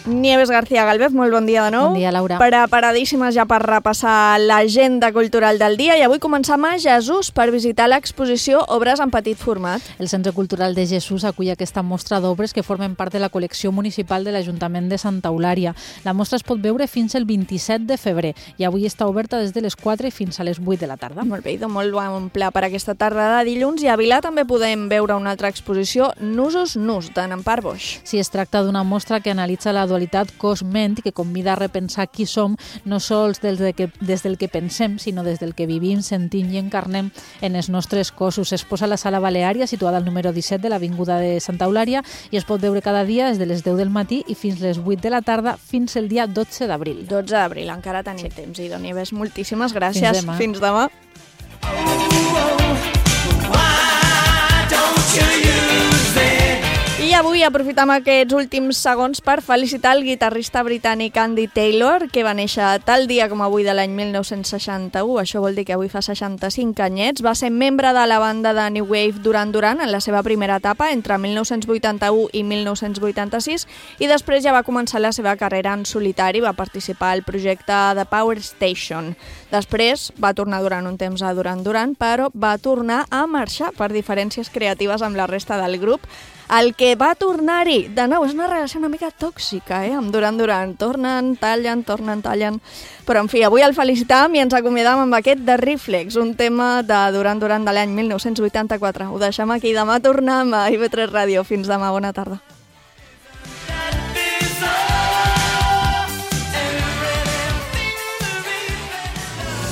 Nieves García Galvez, molt bon dia de nou. Bon dia, Laura. Preparadíssimes ja per repassar l'agenda cultural del dia i avui començam a Jesús per visitar l'exposició Obres en petit format. El Centre Cultural de Jesús acull aquesta mostra d'obres que formen part de la col·lecció municipal de l'Ajuntament de Santa Eulària. La mostra es pot veure fins el 27 de febrer i avui està oberta des de les 4 i fins a les 8 de la tarda. Molt bé, molt bon pla per aquesta tarda de dilluns, i a Vilà també podem veure una altra exposició, Nusos Nus, de Nampar Boix. Sí, es tracta d'una mostra que analitza la dualitat cos-ment i que convida a repensar qui som, no sols des del que pensem, sinó des del que vivim, sentim i encarnem en els nostres cossos. Es posa a la Sala Baleària, situada al número 17 de l'Avinguda de Santa Eulària, i es pot veure cada dia des de les 10 del matí i fins les 8 de la tarda, fins el dia 12 d'abril. 12 d'abril, encara tenim temps. I Nieves, moltíssimes gràcies. Fins demà. I avui aprofitem aquests últims segons per felicitar el guitarrista britànic Andy Taylor, que va néixer tal dia com avui de l'any 1961, això vol dir que avui fa 65 anyets. Va ser membre de la banda de New Wave Duran Duran en la seva primera etapa, entre 1981 i 1986, i després ja va començar la seva carrera en solitari, va participar al projecte The Power Station. Després va tornar durant un temps a Duran Duran, però va tornar a marxar per diferències creatives amb la resta del grup. El que va tornar-hi, de nou, és una relació una mica tòxica, amb Duran Duran. Tornen, tallen. Però, en fi, avui el felicitam i ens acomiadam amb aquest de Reflex, un tema de Duran Duran de l'any 1984. Ho deixem aquí. Demà tornem a IB3 Ràdio. Fins demà. Bona tarda.